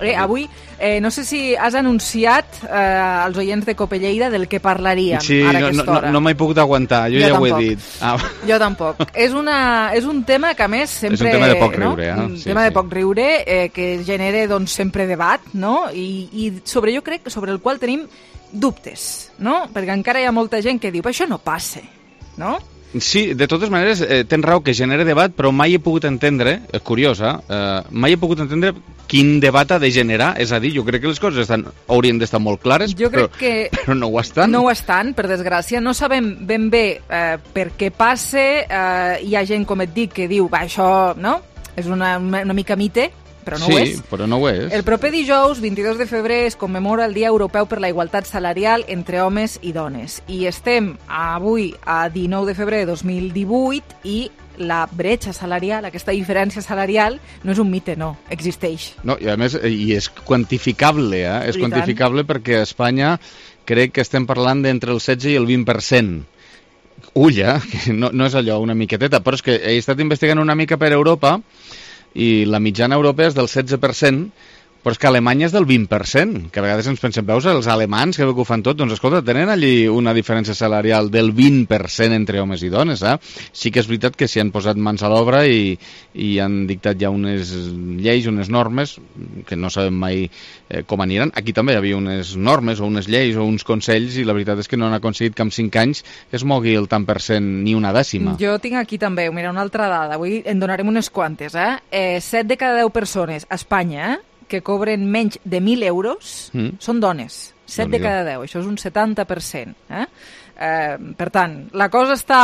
Eh, avui, eh, no sé si has anunciat eh, als oients de Cope Lleida del que parlaríem sí, ara a no, aquesta no, hora. No, no m'he pogut aguantar, jo, jo ja tampoc. Ho he dit. Ah. Jo tampoc. És, una, és un tema que, a més, sempre... És un tema de poc no? riure, eh? Un sí, tema sí. de poc riure, eh, que genera, doncs, sempre debat, no? I, i sobre, jo crec, sobre el qual tenim dubtes, no? Perquè encara hi ha molta gent que diu, això no passa, no? Sí, de totes maneres, eh, tens raó que genera debat, però mai he pogut entendre, és curiós, eh, mai he pogut entendre quin debat ha de generar, és a dir, jo crec que les coses estan, haurien d'estar molt clares, jo crec però, que però no ho estan. No ho estan, per desgràcia, no sabem ben bé eh, per què passa, eh, hi ha gent, com et dic, que diu, va, això, no?, és una, una, una mica mite, però no sí, ho és. Sí, però no ho és. El proper dijous, vint-i-dos de febrer, es commemora el Dia Europeu per la Igualtat Salarial entre homes i dones. I estem avui a dinou de febrer de dos mil divuit i la bretxa salarial, aquesta diferència salarial, no és un mite, no, existeix. No, i a més, i és quantificable, eh? És quantificable perquè a Espanya crec que estem parlant d'entre el setze i el vint per cent. Ull, eh? No, no és allò, una miqueteta, però és que he estat investigant una mica per Europa i la mitjana europea és del setze per cent, però és que a Alemanya és del vint per cent, que a vegades ens pensem, veus, els alemans que ho fan tot, doncs escolta, tenen allí una diferència salarial del vint per cent entre homes i dones, eh? Sí que és veritat que s'hi han posat mans a l'obra i, i han dictat ja unes lleis, unes normes, que no sabem mai eh, com aniran. Aquí també hi havia unes normes o unes lleis o uns consells i la veritat és que no han aconseguit que en cinc anys es mogui el tant per cent ni una dècima. Jo tinc aquí també, mira, una altra dada, avui en donarem unes quantes, eh? eh set de cada deu persones a Espanya, eh? que cobren menys de mil euros mm. són dones. set de cada deu, això és un setanta per cent. Eh? Eh, per tant, la cosa està,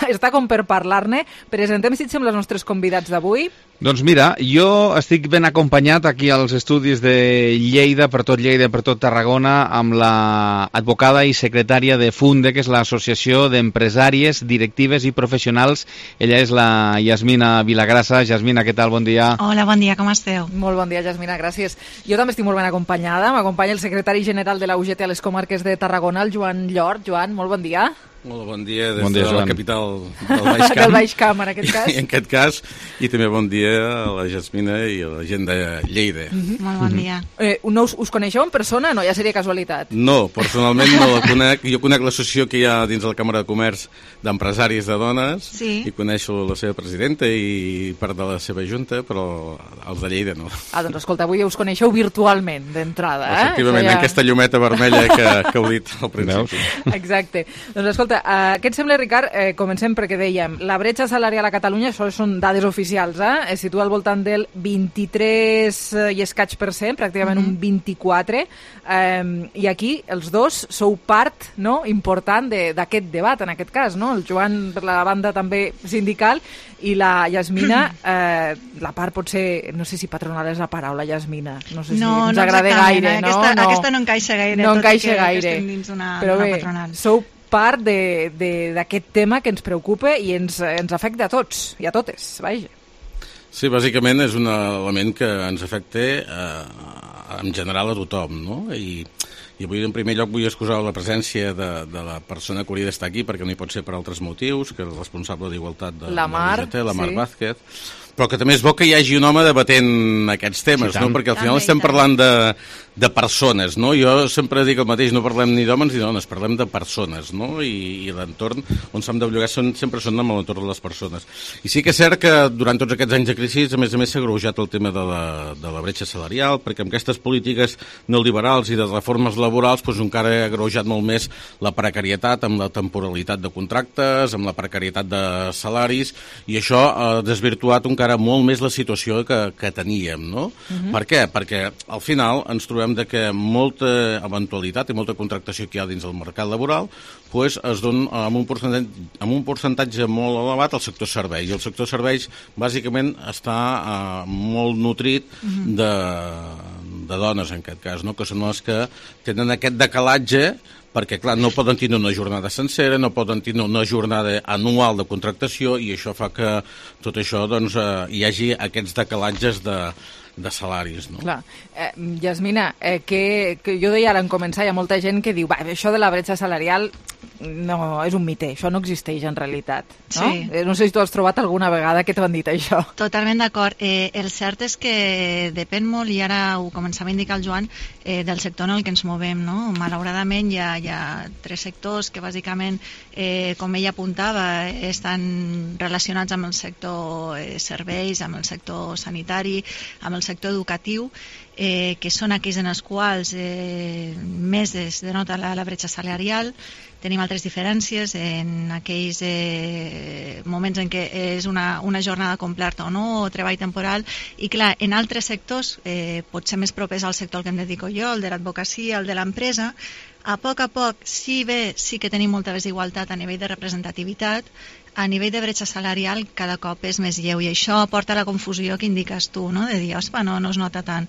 està com per parlar-ne. Presentem, si et sembla, els nostres convidats d'avui. Doncs mira, jo estic ben acompanyat aquí als estudis de Lleida, per tot Lleida, per tot Tarragona, amb la advocada i secretària de Funde, que és l'Associació d'Empresàries, Directives i Professionals. Ella és la Yasmina Vilagrassa. Yasmina, què tal? Bon dia. Hola, bon dia, com esteu? Molt bon dia, Yasmina, gràcies. Jo també estic molt ben acompanyada. M'acompanya el secretari general de la U G T a les comarques de Tarragona, el Joan Llort. Joan, molt bon dia. Molt bon dia des bon dia, de la capital del Baix Camp. del Baix Camp, en aquest cas. en aquest cas. I també bon dia a la Jasmina i a la gent de Lleida. Mm-hmm. Molt bon dia. Eh, no us, us coneixeu en persona? No, ja seria casualitat. No, personalment no la conec. Jo conec l'associació que hi ha dins de la Càmera de Comerç d'Empresaris de Dones sí. i coneixo la seva presidenta i part de la seva junta, però els de Lleida no. Ah, doncs escolta, avui us coneixeu virtualment d'entrada, eh? Efectivament, ja... en aquesta llumeta vermella que, que heu dit al principi. Exacte. Doncs escolta, uh, què et sembla, Ricard? Eh, comencem perquè dèiem, la bretxa salarial a Catalunya, això són dades oficials, eh? Es situa al voltant del vint-i-tres i escaig per cent, pràcticament mm-hmm. un vint-i-quatre, eh, i aquí els dos sou part, no?, important d'aquest debat, en aquest cas, no? El Joan per la banda també sindical i la Yasmina, eh, la part potser, no sé si patronal és la paraula, Yasmina, no sé si no, ens no agrada gaire, no? Aquesta no, no? aquesta no encaixa gaire, no tot encaixa i que, gaire. que estem dins d'una patronal. Sou part d'aquest tema que ens preocupa i ens, ens afecta a tots i a totes, vaja. Sí, bàsicament és un element que ens afecta eh, en general a tothom, no? I, i avui en primer lloc vull excusar la presència de, de la persona que hauria d'estar aquí perquè no hi pot ser per altres motius, que és el responsable d'Igualtat de la Mar, la U G T, la Mar sí. Vázquez, però que també és bo que hi hagi un home debatent aquests temes, sí, no? Perquè al final també, estem parlant de, de persones, no? Jo sempre dic el mateix, no parlem ni d'homes ni dones, parlem de persones, no? I, i l'entorn on s'han de llogar són, sempre són amb l'entorn de les persones. I sí que és cert que durant tots aquests anys de crisi, a més a més, s'ha agreujat el tema de la, de la bretxa salarial, perquè amb aquestes polítiques neoliberals i de reformes laborals doncs encara ha agreujat molt més la precarietat amb la temporalitat de contractes, amb la precarietat de salaris, i això ha desvirtuat encara molt més la situació que, que teníem, no? Uh-huh. Per què? Perquè al final ens trobem de que molta eventualitat i molta contractació que hi ha dins del mercat laboral pues, es dona amb un, percentatge, amb un percentatge molt elevat al sector serveis. I el sector serveis bàsicament està uh, molt nutrit uh-huh. de, de dones en aquest cas, no? Que són les que tenen aquest decalatge perquè, clar, no poden tenir una jornada sencera, no poden tenir una jornada anual de contractació i això fa que tot això doncs, eh, hi hagi aquests decalatges de, de salaris, no? Clar. Eh, Yasmina, eh, que, que jo deia ara en començar, hi ha molta gent que diu va, això de la bretxa salarial no, és un mite, això no existeix en realitat, no? Sí. Eh, no sé si tu has trobat alguna vegada que t'ho han dit això. Totalment d'acord. Eh, el cert és que depèn molt, i ara ho començava a indicar el Joan, eh, del sector en el que ens movem, no? Malauradament hi ha, hi ha tres sectors que bàsicament, eh, com ella apuntava, estan relacionats amb el sector eh, serveis, amb el sector sanitari, amb el sector educatiu, eh, que són aquells en els quals eh, més es denota la, la bretxa salarial. Tenim altres diferències en aquells eh, moments en què és una, una jornada completa o no, o treball temporal, i clar, en altres sectors, eh, potser més propers al sector al que em dedico jo, el de l'advocacia, el de l'empresa, a poc a poc, sí bé, sí que tenim molta desigualtat a nivell de representativitat, a nivell de bretxa salarial cada cop és més lleu, i això porta a la confusió que indiques tu, no? De dir, ospa, no, no es nota tant.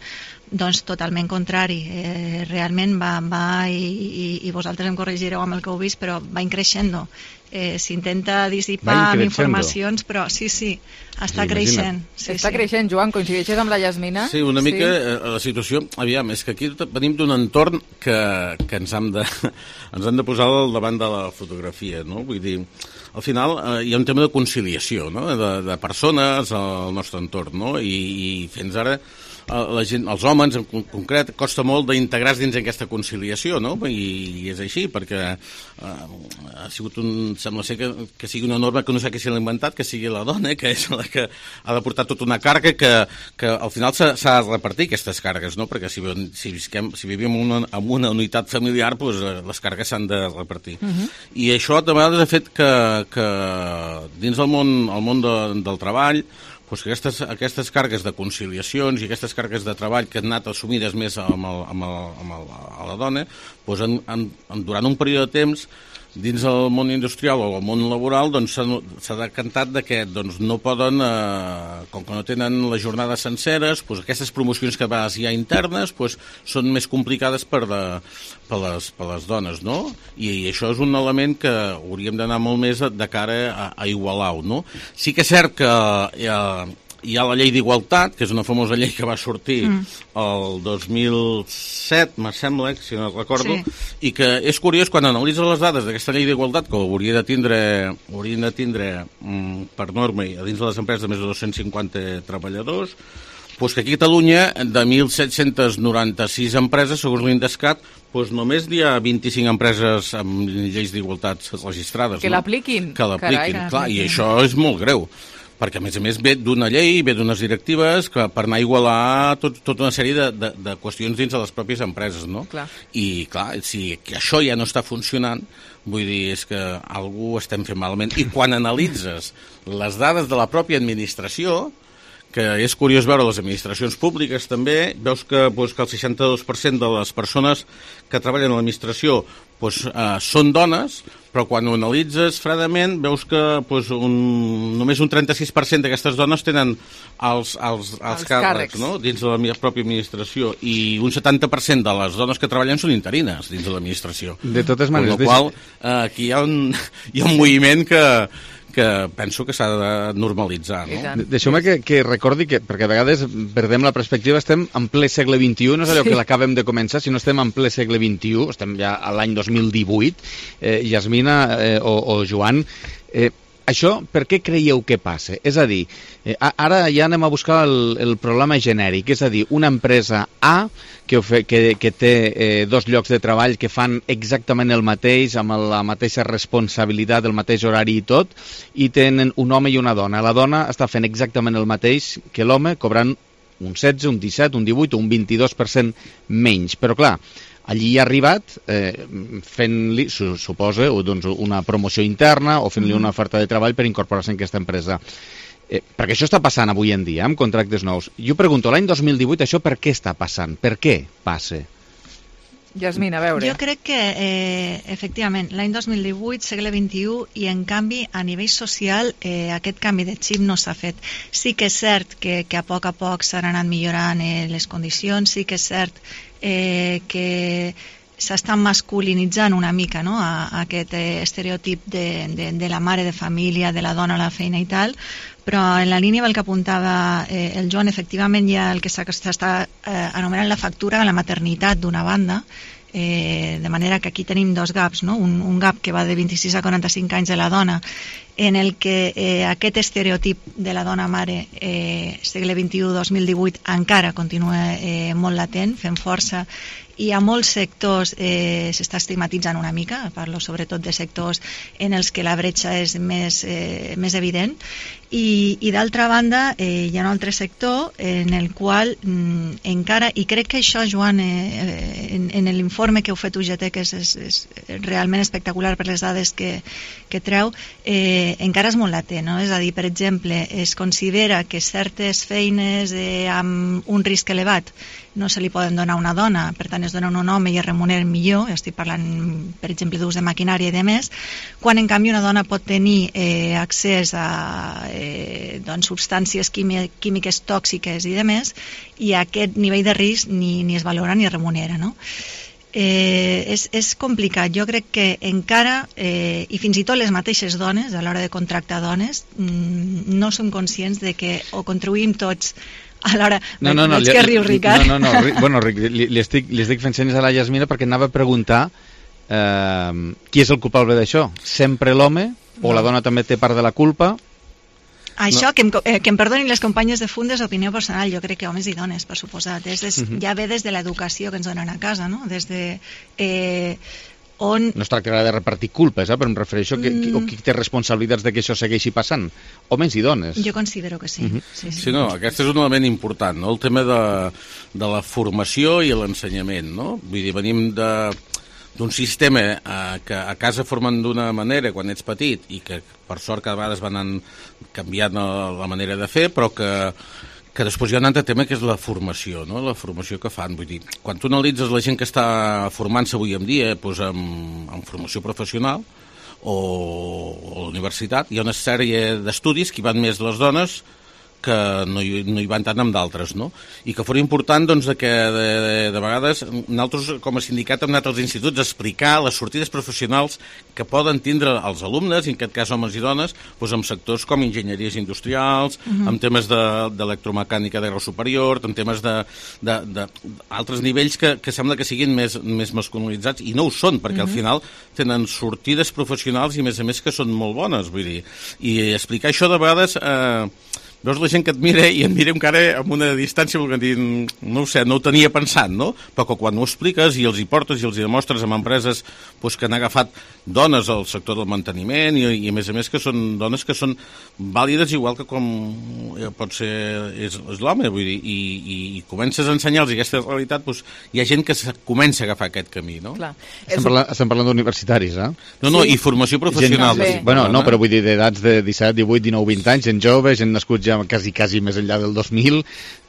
Doncs totalment contrari, eh, realment va, va i, i, i vosaltres em corregireu amb el que heu vist, però va increixendo. Eh, s'intenta dissipar amb informacions, però sí, sí, està sí, creixent. Sí, està sí. creixent, Joan, coincideixes amb la Yasmina? Sí, una mica sí. Eh, la situació, aviam, és que aquí venim d'un entorn que, que ens, hem de, ens hem de posar al davant de la fotografia, no? Vull dir, al final eh, hi ha un tema de conciliació, no? de, de persones al nostre entorn, no? I, i fins ara la gent, els homes en concret, costa molt d'integrar-se dins aquesta conciliació, no? I, i és així, perquè eh, ha sigut un, sembla ser que, que sigui una norma que no sé qui se l'ha inventat, que sigui la dona, que és la que ha de portar tota una càrrega que, que al final s'ha de repartir aquestes càrregues, no? Perquè si, si, visquem, si vivim en una, en una unitat familiar, doncs, les càrregues s'han de repartir. Uh -huh. I això de vegades ha fet que, que dins del món, el món de, del treball, pues que aquestes, aquestes càrregues de conciliacions i aquestes càrregues de treball que han anat assumides més amb, el, amb, el, amb el, a la dona, pues en, en, en, durant un període de temps dins del món industrial o el món laboral doncs, s'ha decantat de que doncs, no poden, eh, com que no tenen les jornades senceres, doncs, aquestes promocions que a vegades hi ha internes doncs, són més complicades per, de, per, les, per les dones, no? I, i això és un element que hauríem d'anar molt més de cara a, a igualar-ho, no? Sí que és cert que eh, hi ha la llei d'igualtat, que és una famosa llei que va sortir mm. el dos mil set, me sembla, si no recordo, sí. I que és curiós, quan analitzes les dades d'aquesta llei d'igualtat, que hauria de tindre, haurien de tindre mm, per norma a dins de les empreses de més de dos-cents cinquanta treballadors, doncs que aquí a Catalunya, de mil set-cents noranta-sis empreses, segons l'Indescat, doncs només hi ha vint-i-cinc empreses amb lleis d'igualtat registrades. Que no? l'apliquin. Que l'apliquin, clar, i això és molt greu. Perquè, a més a més, ve d'una llei, ve d'unes directives que per anar a igualar tot, tota una sèrie de, de, de qüestions dins de les pròpies empreses, no? Clar. I, clar, si que això ja no està funcionant, vull dir, és que algú estem fent malament. I quan analitzes les dades de la pròpia administració, que és curiós veure les administracions públiques també, veus que, doncs, que el seixanta-dos per cent de les persones que treballen a l'administració doncs, eh, són dones, però quan ho analitzes fredament veus que doncs, un, només un trenta-sis per cent d'aquestes dones tenen els, els, els, els càrrecs, càrrecs. No? Dins de la meva pròpia administració, i un setanta per cent de les dones que treballen són interines dins de l'administració. De totes maneres... Per la qual eh, aquí hi ha un, hi ha un moviment que que penso que s'ha de normalitzar, no? Deixeu-me que, que recordi que, perquè a vegades perdem la perspectiva, estem en ple segle vint-i-u, no és allò sí. que l'acabem de començar, sinó estem en ple segle vint-i-u, estem ja a l'any dos mil divuit, eh, Yasmina eh, o, o Joan, eh, això per què creieu que passa? És a dir, eh, ara ja anem a buscar el, el problema genèric, és a dir, una empresa A que, que, que té eh, dos llocs de treball que fan exactament el mateix, amb la mateixa responsabilitat, el mateix horari i tot, i tenen un home i una dona. La dona està fent exactament el mateix que l'home, cobrant un setze, un disset, un divuit o un vint-i-dos per cent menys. Però clar, allí ha arribat eh, fent-li, suposa, doncs una promoció interna o fent-li una oferta de treball per incorporar-se en aquesta empresa. Eh, perquè això està passant avui en dia, amb contractes nous. Jo pregunto, l'any dos mil divuit això per què està passant? Per què passa? Yasmina, a veure. Jo crec que, eh, efectivament, l'any dos mil divuit, segle vint-i-u, i en canvi, a nivell social, eh, aquest canvi de xip no s'ha fet. Sí que és cert que, que a poc a poc s'han anat millorant eh, les condicions, sí que és cert eh, que s'està masculinitzant una mica, no?, a, a aquest eh, estereotip de, de, de la mare de família, de la dona a la feina i tal, però en la línia del que apuntava eh, el Joan, efectivament hi ha el que s'està eh, anomenant la factura de la maternitat d'una banda, eh, de manera que aquí tenim dos gaps, no? un, un gap que va de vint-i-sis a quaranta-cinc anys de la dona, en el que eh, aquest estereotip de la dona mare eh, segle vint-i-u dos mil divuit encara continua eh, molt latent, fent força, i a molts sectors eh, s'està estigmatitzant una mica, parlo sobretot de sectors en els que la bretxa és més, eh, més evident, i, i d'altra banda eh, hi ha un altre sector en el qual mm, encara, i crec que això, Joan, eh, en, en l'informe que heu fet U G T, que és, és, és realment espectacular per les dades que, que treu, eh, encara és molt latent, no? És a dir, per exemple, es considera que certes feines eh, amb un risc elevat no se li poden donar a una dona, per tant es donen a un home i es remuneren millor, estic parlant per exemple d'ús de maquinària i de més, quan en canvi una dona pot tenir eh, accés a eh, doncs, substàncies químiques tòxiques i de més, i aquest nivell de risc ni, ni es valora ni es remunera, no? Eh, és, és complicat. Jo crec que encara, eh, i fins i tot les mateixes dones, a l'hora de contractar dones, mm, no som conscients de que o contribuïm tots a l'hora... No, no, no, veig que riu, Ricard. No, no, no, bueno, Ric, li, li, estic, li estic fent senyes a la Yasmina perquè anava a preguntar eh, qui és el culpable d'això? Sempre l'home? O la dona també té part de la culpa? Això, no. que, em, eh, que em perdonin les companyes de Fundes, opinió personal, jo crec que homes i dones, per suposat. Des, des, uh -huh. Ja ve des de l'educació que ens donen a casa, no? Des de... Eh, on... No es tractarà de repartir culpes, eh? Però em refereixo a mm. qui, qui té responsabilitats de que això segueixi passant. Homes i dones. Jo considero que sí. Uh -huh. sí, sí. Sí, no, aquest és un element important, no? El tema de, de la formació i l'ensenyament, no? Vull dir, venim de... d'un sistema eh, que a casa formen d'una manera quan ets petit i que per sort cada vegada es van canviant la manera de fer, però que, que després hi ha un altre tema que és la formació, no? La formació que fan. Vull dir, quan tu analitzes la gent que està formant-se avui en dia doncs amb, amb formació professional o, o a la universitat, hi ha una sèrie d'estudis que hi van més les dones que no hi, no hi van tant amb d'altres, no? I que fos important, doncs, que de, de, de vegades nosaltres, com a sindicat, hem anat als instituts a explicar les sortides professionals que poden tindre els alumnes, i en aquest cas homes i dones, doncs, en sectors com enginyeries industrials, uh-huh. en temes d'electromecànica de, de grau superior, en temes d'altres nivells que, que sembla que siguin més, més masculinitzats, i no ho són, perquè uh-huh. al final tenen sortides professionals i, a més a més, que són molt bones, vull dir. I explicar això de vegades... Eh, veus la gent que et mira i et mira encara amb una distància perquè dir, no ho sé, no ho tenia pensat, no? Però que quan ho expliques i els hi portes i els hi demostres amb empreses doncs, que han agafat dones al sector del manteniment i, i a més a més que són dones que són vàlides igual que com pot ser és, és l'home, vull dir, i, i, i comences a ensenyar-los aquesta realitat, doncs, hi ha gent que se comença a agafar aquest camí, no? Clar. Estem, parlant, estem parlant d'universitaris, eh? No, no, sí. I formació professional. Gent, bueno, no, però vull dir d'edats de disset, divuit, dinou, vint anys, gent jove, gent nascuts ja quasi, quasi més enllà del dos mil,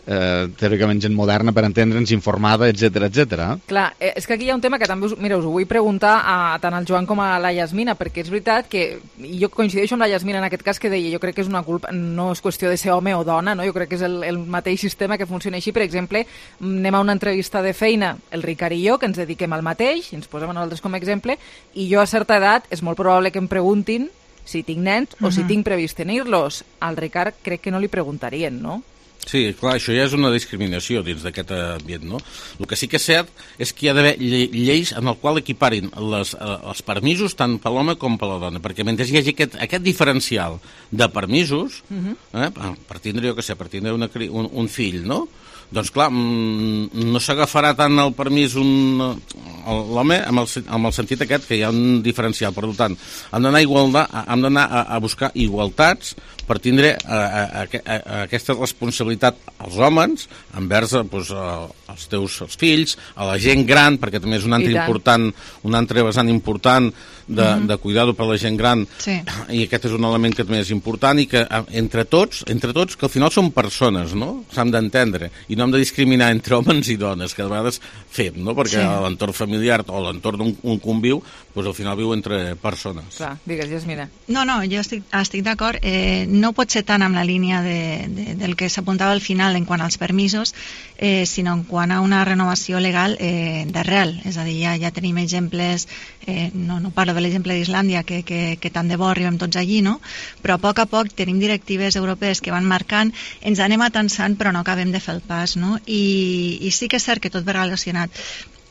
eh, teòricament gent moderna per entendre'ns, informada, etcètera, etcètera. Clar, és que aquí hi ha un tema que també us, mira, us ho vull preguntar a tant al Joan com a la Yasmina, perquè és veritat que jo coincideixo amb la Yasmina en aquest cas que deia, jo crec que és una culpa, no és qüestió de ser home o dona, no? Jo crec que és el, el mateix sistema que funciona així. Per exemple, anem a una entrevista de feina, el Ricard i jo, que ens dediquem al mateix, i ens posem a nosaltres com a exemple, i jo a certa edat és molt probable que em preguntin si tinc nens o uh-huh. si tinc previst tenir-los. Al Ricard crec que no li preguntarien, no? Sí, clar, això ja és una discriminació dins d'aquest ambient, no? El que sí que és cert és que hi ha d'haver lleis en el qual equiparin les, els permisos tant per l'home com per la dona, perquè mentre hi hagi aquest, aquest diferencial de permisos, uh-huh. eh, per tindre, jo què sé, per tindre una, un, un fill, no? Doncs clar, no s'agafarà tant el permís un, l'home amb, el, amb el sentit aquest que hi ha un diferencial. Per tant, hem d'anar hem d'anar a, a buscar igualtats per tindre a, a, a, a aquesta responsabilitat als homes envers doncs, a, als teus als fills, a la gent gran, perquè també és un altre important, un altre vessant important de, uh-huh. de cuidar-ho per la gent gran, sí. I aquest és un element que també és important i que entre tots, entre tots que al final són persones, no? S'han d'entendre i no hem de discriminar entre homes i dones, que a vegades fem, no? Perquè sí. l'entorn familiar o l'entorn d'un conviu, doncs al final viu entre persones. Clar, digues, Yasmina. No, no, jo estic, estic d'acord. Eh, no pot ser tant amb la línia de, de, del que s'apuntava al final en quant als permisos, eh, sinó en quant a una renovació legal eh, d'arrel. És a dir, ja, ja tenim exemples, eh, no, no parlo de l'exemple d'Islàndia, que, que, que tant de bo arribem tots allí, no? Però a poc a poc tenim directives europees que van marcant, ens anem atansant però no acabem de fer el pas, no? I, i sí que és cert que tot ve relacionat.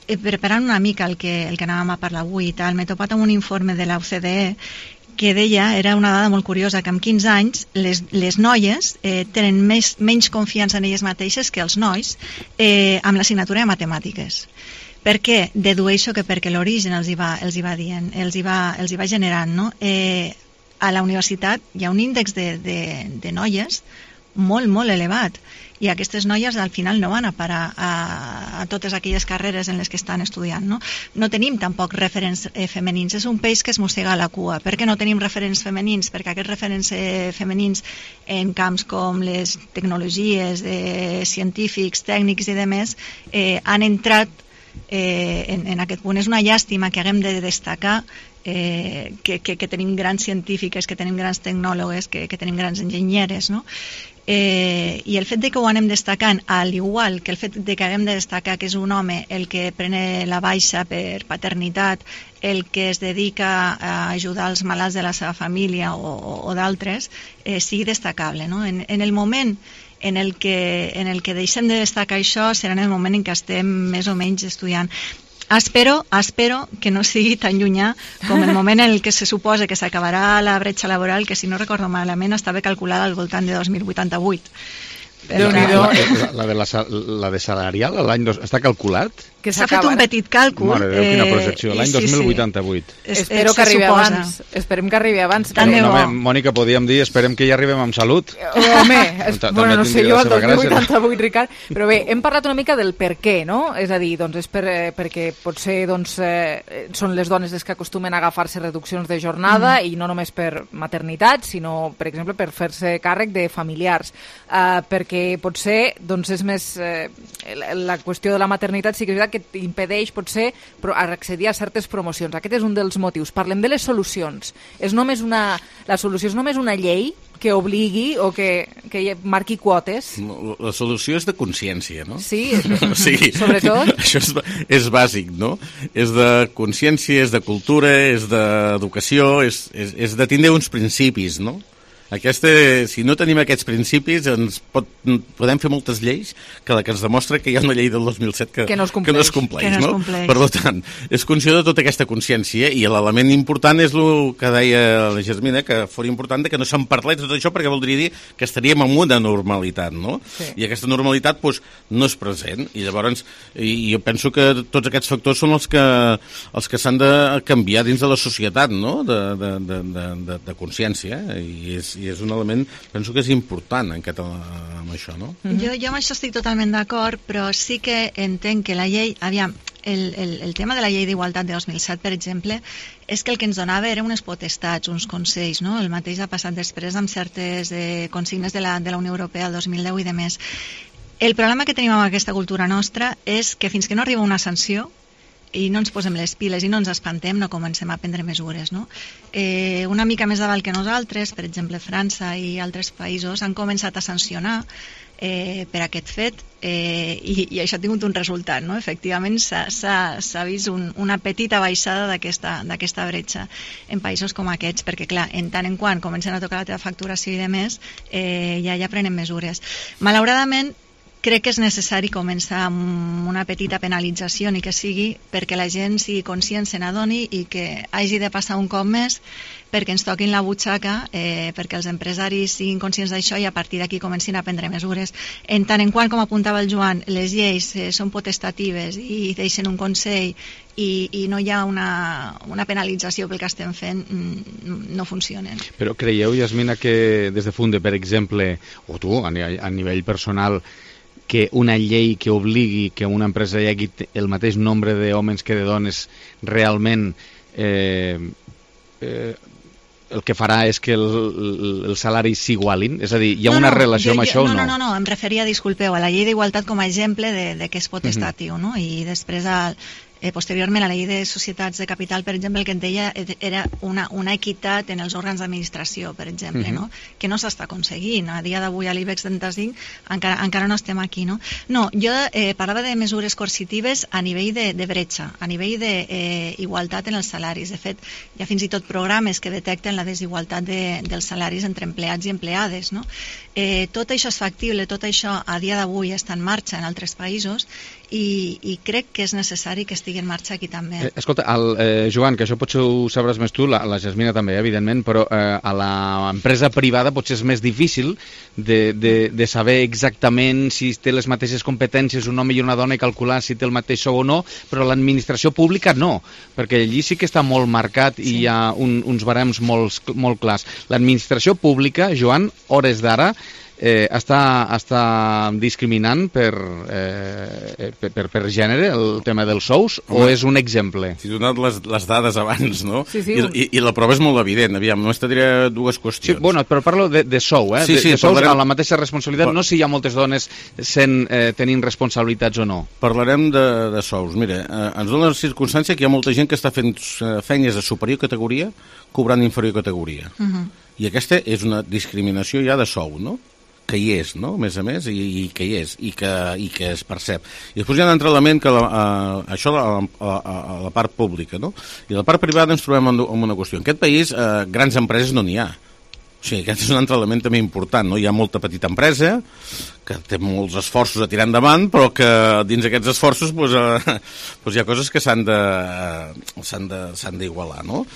Eh, preparant una mica el que, el que anàvem a parlar avui i tal, m'he topat amb un informe de la O C D E que deia, era una dada molt curiosa, que amb quinze anys les, les noies eh, tenen més, menys confiança en elles mateixes que els nois eh, amb l'assignatura de matemàtiques. Per què? Dedueixo que perquè l'origen els hi va, els hi va dient, els hi va, els hi va generant, no? Eh, a la universitat hi ha un índex de, de, de noies molt, molt elevat. I aquestes noies al final no van a parar a, a totes aquelles carreres en les que estan estudiant. No, no tenim tampoc referents eh, femenins. És un peix que es mossega la cua. Per què no tenim referents femenins? Perquè aquests referents eh, femenins en camps com les tecnologies, eh, científics, tècnics i demés, eh, han entrat eh, en, en aquest punt. És una llàstima que haguem de destacar Eh, que, que, que tenim grans científiques, que tenim grans tecnòlogues, que, que tenim grans enginyeres, no? Eh, i el fet de que ho anem destacant, al igual que el fet de que haguem de destacar que és un home el que prene la baixa per paternitat, el que es dedica a ajudar els malalts de la seva família o, o, o d'altres, eh, sigui destacable, no? En, en el moment en el, que, en el que deixem de destacar això serà en el moment en què estem més o menys estudiant. Espero, espero que no sigui tan llunyà com el moment en el que se suposa que s'acabarà la bretxa laboral, que si no recordo malament estava calculada al voltant de dos mil vuitanta-vuit. La, la, la, la, de la, la de salarial l'any dos... està calculat? S'ha fet un petit càlcul. Mare Déu, quina projecció. L'any dos mil vuitanta-vuit. Espero que arribi abans. Esperem que arribi abans. Tant de bo. Mònica, podíem dir, esperem que ja arribem amb salut. Home, bueno, no sé jo, el dos mil vuitanta-vuit, Ricard. Però bé, hem parlat una mica del per què, no? És a dir, doncs és per, perquè potser doncs, eh, són les dones les que acostumen a agafar-se reduccions de jornada mm. i no només per maternitat, sinó, per exemple, per fer-se càrrec de familiars. Eh, perquè potser doncs, és més... Eh, la qüestió de la maternitat sí que és veritat que impedeix potser accedir a certes promocions. Aquest és un dels motius. Parlem de les solucions. És només una, la solució és només una llei que obligui o que, que marqui quotes? La solució és de consciència, no? Sí, o sigui, sobretot. Això és, és bàsic, no? És de consciència, és de cultura, és d'educació, és, és, és de tindre uns principis, no? Aquesta, si no tenim aquests principis, ens pot, podem fer moltes lleis que la que ens demostra que hi ha una llei del dos mil set que, que no es compleix. Que no es compleix, que no es no? compleix. Per tant, és qüestió de tota aquesta consciència i l'element important és el que deia la Germina, que fos important de que no se'n parlés de tot això perquè voldria dir que estaríem en una normalitat, no? Sí. I aquesta normalitat doncs, no és present i llavors i jo penso que tots aquests factors són els que, els que s'han de canviar dins de la societat, no? De, de, de, de, de, de consciència, eh? I és i és un element, penso que és important en català, amb això, no? Mm-hmm. Jo, jo amb això estic totalment d'acord, però sí que entenc que la llei, aviam, el, el, el tema de la llei d'igualtat de dos mil set, per exemple, és que el que ens donava era unes potestats, uns consells, no? El mateix ha passat després amb certes eh, consignes de la, de la Unió Europea el dos mil deu i de més. El problema que tenim amb aquesta cultura nostra és que fins que no arriba una sanció, i no ens posem les piles i no ens espantem, no comencem a prendre mesures, no? Eh, una mica més davant que nosaltres, per exemple França i altres països han començat a sancionar eh, per aquest fet eh, i, i això ha tingut un resultat, no? Efectivament s'ha vist un, una petita baixada d'aquesta bretxa en països com aquests, perquè clar, en tant en quant comencen a tocar la teva facturació i de més, eh, ja, ja prenen mesures. Malauradament, crec que és necessari començar amb una petita penalització, ni que sigui perquè la gent sigui conscient, se n'adoni i que hagi de passar un cop més perquè ens toquin la butxaca, eh, perquè els empresaris siguin conscients d'això i a partir d'aquí comencin a prendre mesures. En tant en quant, com apuntava el Joan, les lleis eh, són potestatives i deixen un consell i, i no hi ha una, una penalització pel que estem fent, no funcionen. Però creieu, Yasmina, que des de Funde, per exemple, o tu, a, a nivell personal, que una llei que obligui que una empresa hi hagi el mateix nombre d'homes que de dones realment eh, eh, el que farà és que el, el, els salaris s'igualin? És a dir, hi ha no, una no, relació jo, amb això no, o no? No, no, no, em referia, disculpeu, a la llei d'igualtat com a exemple de, de que és potestatiu, uh-huh. no? I després al Eh, posteriorment, la llei de societats de capital, per exemple, el que et deia era una, una equitat en els òrgans d'administració, per exemple, uh-huh. no? Que no s'està aconseguint. A dia d'avui a l'IBEX trenta-cinc encara, encara no estem aquí, no? No, jo eh, parlava de mesures coercitives a nivell de, de bretxa, a nivell d'igualtat eh, en els salaris. De fet, hi ha fins i tot programes que detecten la desigualtat de, dels salaris entre empleats i empleades, no? Eh, tot això és factible, tot això a dia d'avui està en marxa en altres països i, i crec que és necessari que estigui en marxa aquí també. Eh, escolta, el, eh, Joan, que això potser ho sabràs més tu, la, la Jasmina també, evidentment, però eh, a l'empresa privada potser és més difícil de, de, de saber exactament si té les mateixes competències un home i una dona i calcular si té el mateix sou o no, però l'administració pública no, perquè allí sí que està molt marcat i sí. Hi ha un, uns barems molt, molt clars. L'administració pública, Joan, hores d'ara, eh, està, està discriminant per, eh, per, per, per gènere el tema dels sous, o és un exemple? T'he donat les, les dades abans, no? Sí, sí. I, i, I la prova és molt evident. Aviam, només te diré dues qüestions. Sí, bueno, però parlo de, de sou, eh? Sí, sí, de, de sous parlarem... amb la mateixa responsabilitat, no si hi ha moltes dones sent, eh, tenint responsabilitats o no. Parlarem de, de sous. Mira, eh, ens dona la circumstància que hi ha molta gent que està fent eh, feines de superior categoria cobrant inferior categoria. Uh -huh. I aquesta és una discriminació ja de sou, no? Que hi és, no? A més a més, i, i que hi és, i que, i que es percep. I després hi ha un altre element que la, uh, això a, a, a, a la part pública, no? I a la part privada ens trobem amb, amb una qüestió. En aquest país, uh, grans empreses no n'hi ha. O sigui, aquest és un altre element també important, no? Hi ha molta petita empresa que té molts esforços a tirar endavant, però que dins aquests esforços doncs, eh, doncs hi ha coses que s'han de, eh, s'han de, s'han d'igualar, no?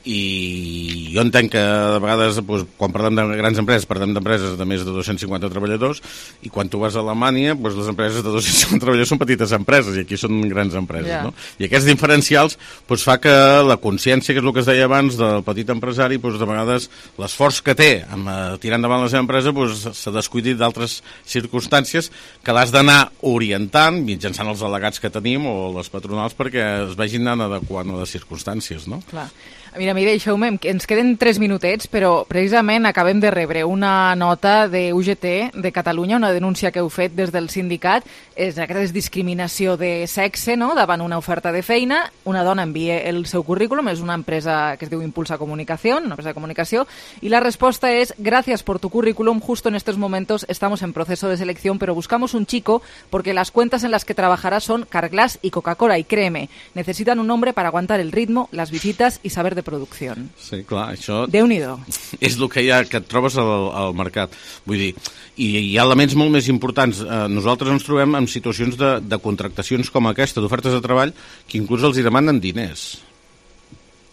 I jo entenc que de vegades doncs, quan parlem de grans empreses parlem d'empreses de més de dos-cents cinquanta treballadors, i quan tu vas a Alemanya doncs, les empreses de dos-cents cinquanta treballadors són petites empreses i aquí són grans empreses, Yeah. no? I aquests diferencials doncs, fa que la consciència, que és el que es deia abans del petit empresari, doncs, de vegades l'esforç que té amb eh, tirar endavant la seva empresa doncs, s'ha descuidat d'altres circumstàncies que l'has d'anar orientant mitjançant els delegats que tenim o les patronals perquè es vagin anant adequant a les circumstàncies, no? Clar. Mira, mi deixeu-me, que ens queden tres minutets, però precisament acabem de rebre una nota de U G T de Catalunya, una denúncia que heu fet des del sindicat, és aquesta discriminació de sexe, no?, davant una oferta de feina. Una dona envia el seu currículum, és una empresa que es diu Impulsa Comunicación, una empresa de comunicació, y la respuesta es: gracias por tu currículum, justo en estos momentos estamos en proceso de selección, pero buscamos un chico porque las cuentas en las que trabajará son Carglass y Coca-Cola, y créeme, necesitan un hombre para aguantar el ritmo, las visitas y saber de producció. Sí, clar, això... Déu-n'hi-do. És el que, hi ha, que et trobes al, al mercat. Vull dir, i hi ha elements molt més importants. Eh, nosaltres ens trobem en situacions de, de contractacions com aquesta, d'ofertes de treball, que inclús els hi demanen diners.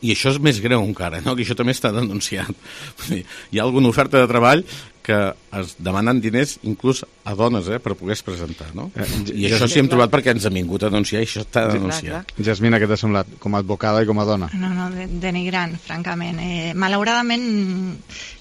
I això és més greu encara, no? Que això també està denunciat. Vull dir, hi ha alguna oferta de treball que es demanen diners inclús a dones, eh, per poder-se presentar, no? Eh, I això sí hem trobat perquè ens hem vingut a denunciar i això està denunciat. Jasmina, què t'ha semblat? Com a advocada i com a dona? No, no, de, denigrant, francament. Eh, malauradament,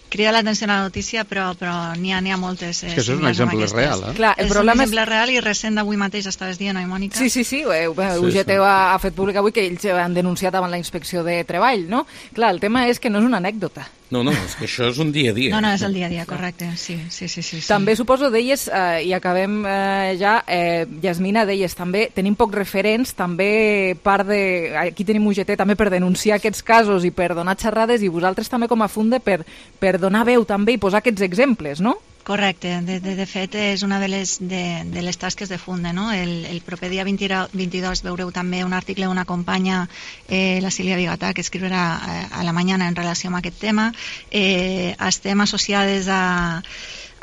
crida l'atenció a la notícia, però, però n'hi ha, n'hi ha moltes. Eh, És que això és un exemple real, eh? Clar, el és problema un és- exemple real i recent d'avui mateix estaves dient, oi, Mònica? Sí, sí, sí, eh, Sí, U G T sí. ha, ha fet públic avui que ells han denunciat davant la inspecció de treball, no? Clar, el tema és que no és una anècdota. No, no, és que això és un dia a dia. No, no, és el dia a dia, correcte. Sí, sí, sí. sí, sí. També suposo, deies, eh, i acabem eh, ja, eh, Jasmina, deies, també tenim pocs referents, també part de... Aquí tenim U G T també per denunciar aquests casos i per donar xerrades, i vosaltres també com a Funde per, per donar veu també i posar aquests exemples, no? Correcte, de, de, de fet és una de les, de, de les tasques de Funde, no? El, el proper dia vint-i-dos veureu també un article d'una companya, eh, la Sílvia Bigatà, que escriurà a, a la mañana en relació amb aquest tema. Eh, estem associades a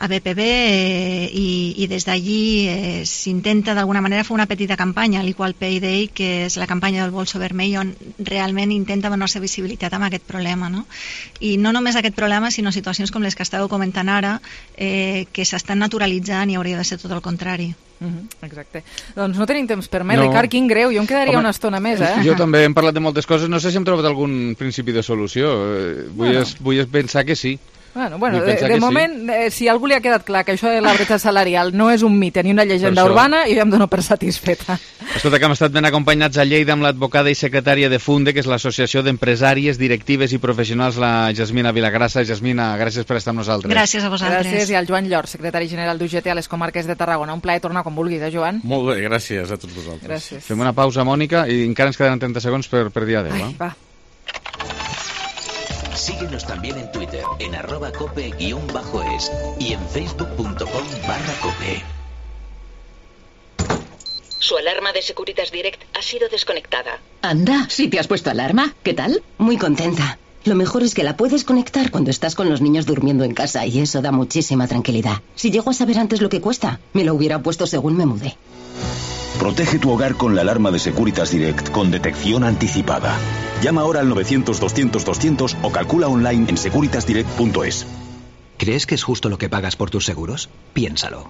a B P B eh, i, i des d'allí eh, s'intenta d'alguna manera fer una petita campanya, l'Equal Pay Day, que és la campanya del Bolso Vermell, on realment intenta donar-se visibilitat amb aquest problema, no? I no només aquest problema, sinó situacions com les que estàveu comentant ara, eh, que s'estan naturalitzant i hauria de ser tot el contrari. Uh -huh, exacte. Doncs no tenim temps per més, No. Ricard, quin greu, jo em quedaria Home, una estona més, eh? Jo també hem parlat de moltes coses, no sé si hem trobat algun principi de solució. Eh, Vull, Bueno. es, vull pensar que sí. Bueno, bueno, Vull de, pensar de que sí. moment, eh, si a algú li ha quedat clar que això de la bretxa salarial no és un mite ni una llegenda Per això. urbana, jo ja em dono per satisfeta. Escolta, que hem estat ben acompanyats a Lleida amb l'advocada i secretària de Funde, que és l'Associació d'Empresàries, Directives i Professionals, la Jasmina Vilagrassa. Jasmina, gràcies per estar amb nosaltres. Gràcies a vosaltres. Gràcies, i al Joan Llor, secretari general d'U G T a les comarques de Tarragona. Un plaer tornar quan vulguis, eh, Joan? Molt bé, gràcies a tots vosaltres. Gràcies. Fem una pausa, Mònica, i encara ens queden trenta segons per, per dir adéu. Ai, eh? va. Síguenos también en Twitter, en arroba cope guión bajo es y en facebook.com barra cope. Su alarma de Securitas Direct ha sido desconectada. Anda, ¿sí te has puesto alarma? ¿Qué tal? Muy contenta. Lo mejor es que la puedes conectar cuando estás con los niños durmiendo en casa y eso da muchísima tranquilidad. Si llego a saber antes lo que cuesta, me lo hubiera puesto según me mudé. Protege tu hogar con la alarma de Securitas Direct con detección anticipada. Llama ahora al novecientos doscientos doscientos o calcula online en securitas direct punto es. ¿Crees que es justo lo que pagas por tus seguros? Piénsalo.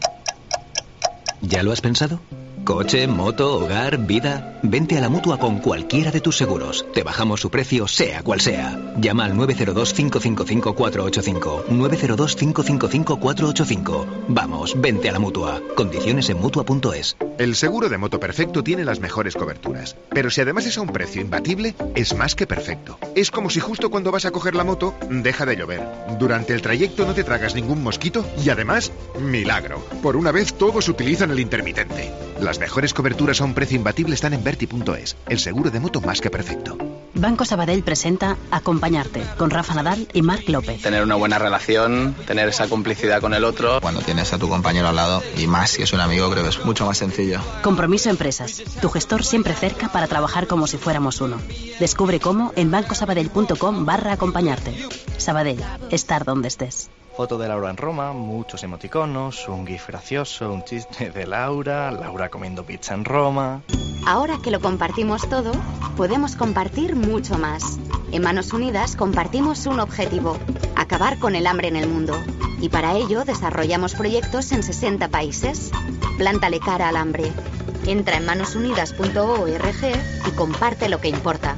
¿Ya lo has pensado? Coche, moto, hogar, vida. Vente a la Mutua con cualquiera de tus seguros. Te bajamos su precio, sea cual sea. Llama al nueve cero dos, cinco cinco cinco, cuatro ocho cinco. nueve cero dos, cinco cinco cinco, cuatro ocho cinco. Vamos, vente a la Mutua. Condiciones en mutua punto es. El seguro de moto perfecto tiene las mejores coberturas. Pero si además es a un precio imbatible, es más que perfecto. Es como si justo cuando vas a coger la moto, deja de llover. Durante el trayecto no te tragas ningún mosquito y además, milagro. Por una vez todos utilizan el intermitente. Las mejores coberturas a un precio imbatible están en Verti punto es, el seguro de moto más que perfecto. Banco Sabadell presenta Acompañarte, con Rafa Nadal y Marc López. Tener una buena relación, tener esa complicidad con el otro. Cuando tienes a tu compañero al lado, y más si es un amigo, creo que es mucho más sencillo. Compromiso Empresas, tu gestor siempre cerca para trabajar como si fuéramos uno. Descubre cómo en bancosabadell punto com barra acompañarte. Sabadell, estar donde estés. Foto de Laura en Roma, muchos emoticonos, un gif gracioso, un chiste de Laura, Laura comiendo pizza en Roma. Ahora que lo compartimos todo, podemos compartir mucho más. En Manos Unidas compartimos un objetivo: acabar con el hambre en el mundo. Y para ello desarrollamos proyectos en sesenta países. Plántale cara al hambre. Entra en manos unidas punto org y comparte lo que importa.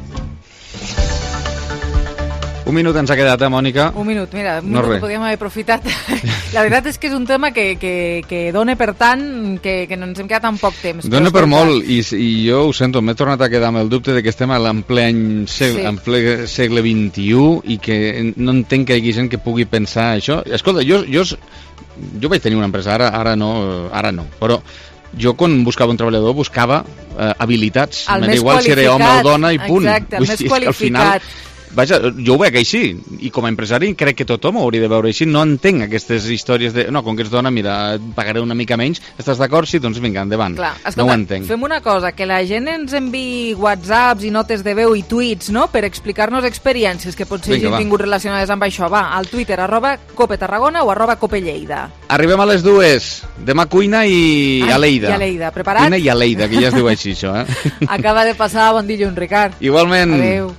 Un minut ens ha quedat, eh, Mònica? Un minut, mira, un no minut res. que podíem haver aprofitat. La veritat és que és un tema que, que, que dona per tant que, que no ens hem quedat tan poc temps. Dona Però, per escolta, molt, i, i jo ho sento, m'he tornat a quedar amb el dubte de que estem en ple, any, seg Sí. en ple segle vint-i-u i que no entenc que hi hagi gent que pugui pensar això. Escolta, jo, jo, jo vaig tenir una empresa, ara, ara no, ara no, però jo quan buscava un treballador buscava eh, habilitats, El m'era més igual si era home o dona i punt. exacte, el Vull més dir, és que al final, qualificat. vaja, jo ho veig així, i com a empresari crec que tothom ho hauria de veure així. No entenc aquestes històries de, no, com que ets dona, mira, et pagaré una mica menys, estàs d'acord? Sí, doncs vinga, endavant. Clar, no escolta, ho entenc. fem una cosa, que la gent ens enviï whatsapps i notes de veu i tuits, no?, per explicar-nos experiències que potser Vinga, hagin va. tingut relacionades amb això. Va, al Twitter, arroba Cope Tarragona o arroba Cope Lleida. Arribem a les dues. Demà cuina i Ai, Aleida. i Aleida. Preparat? Cuina i Aleida, que ja es diu així, això, eh? Acaba de passar bon dilluns, Ricard. Igualment. Adéu.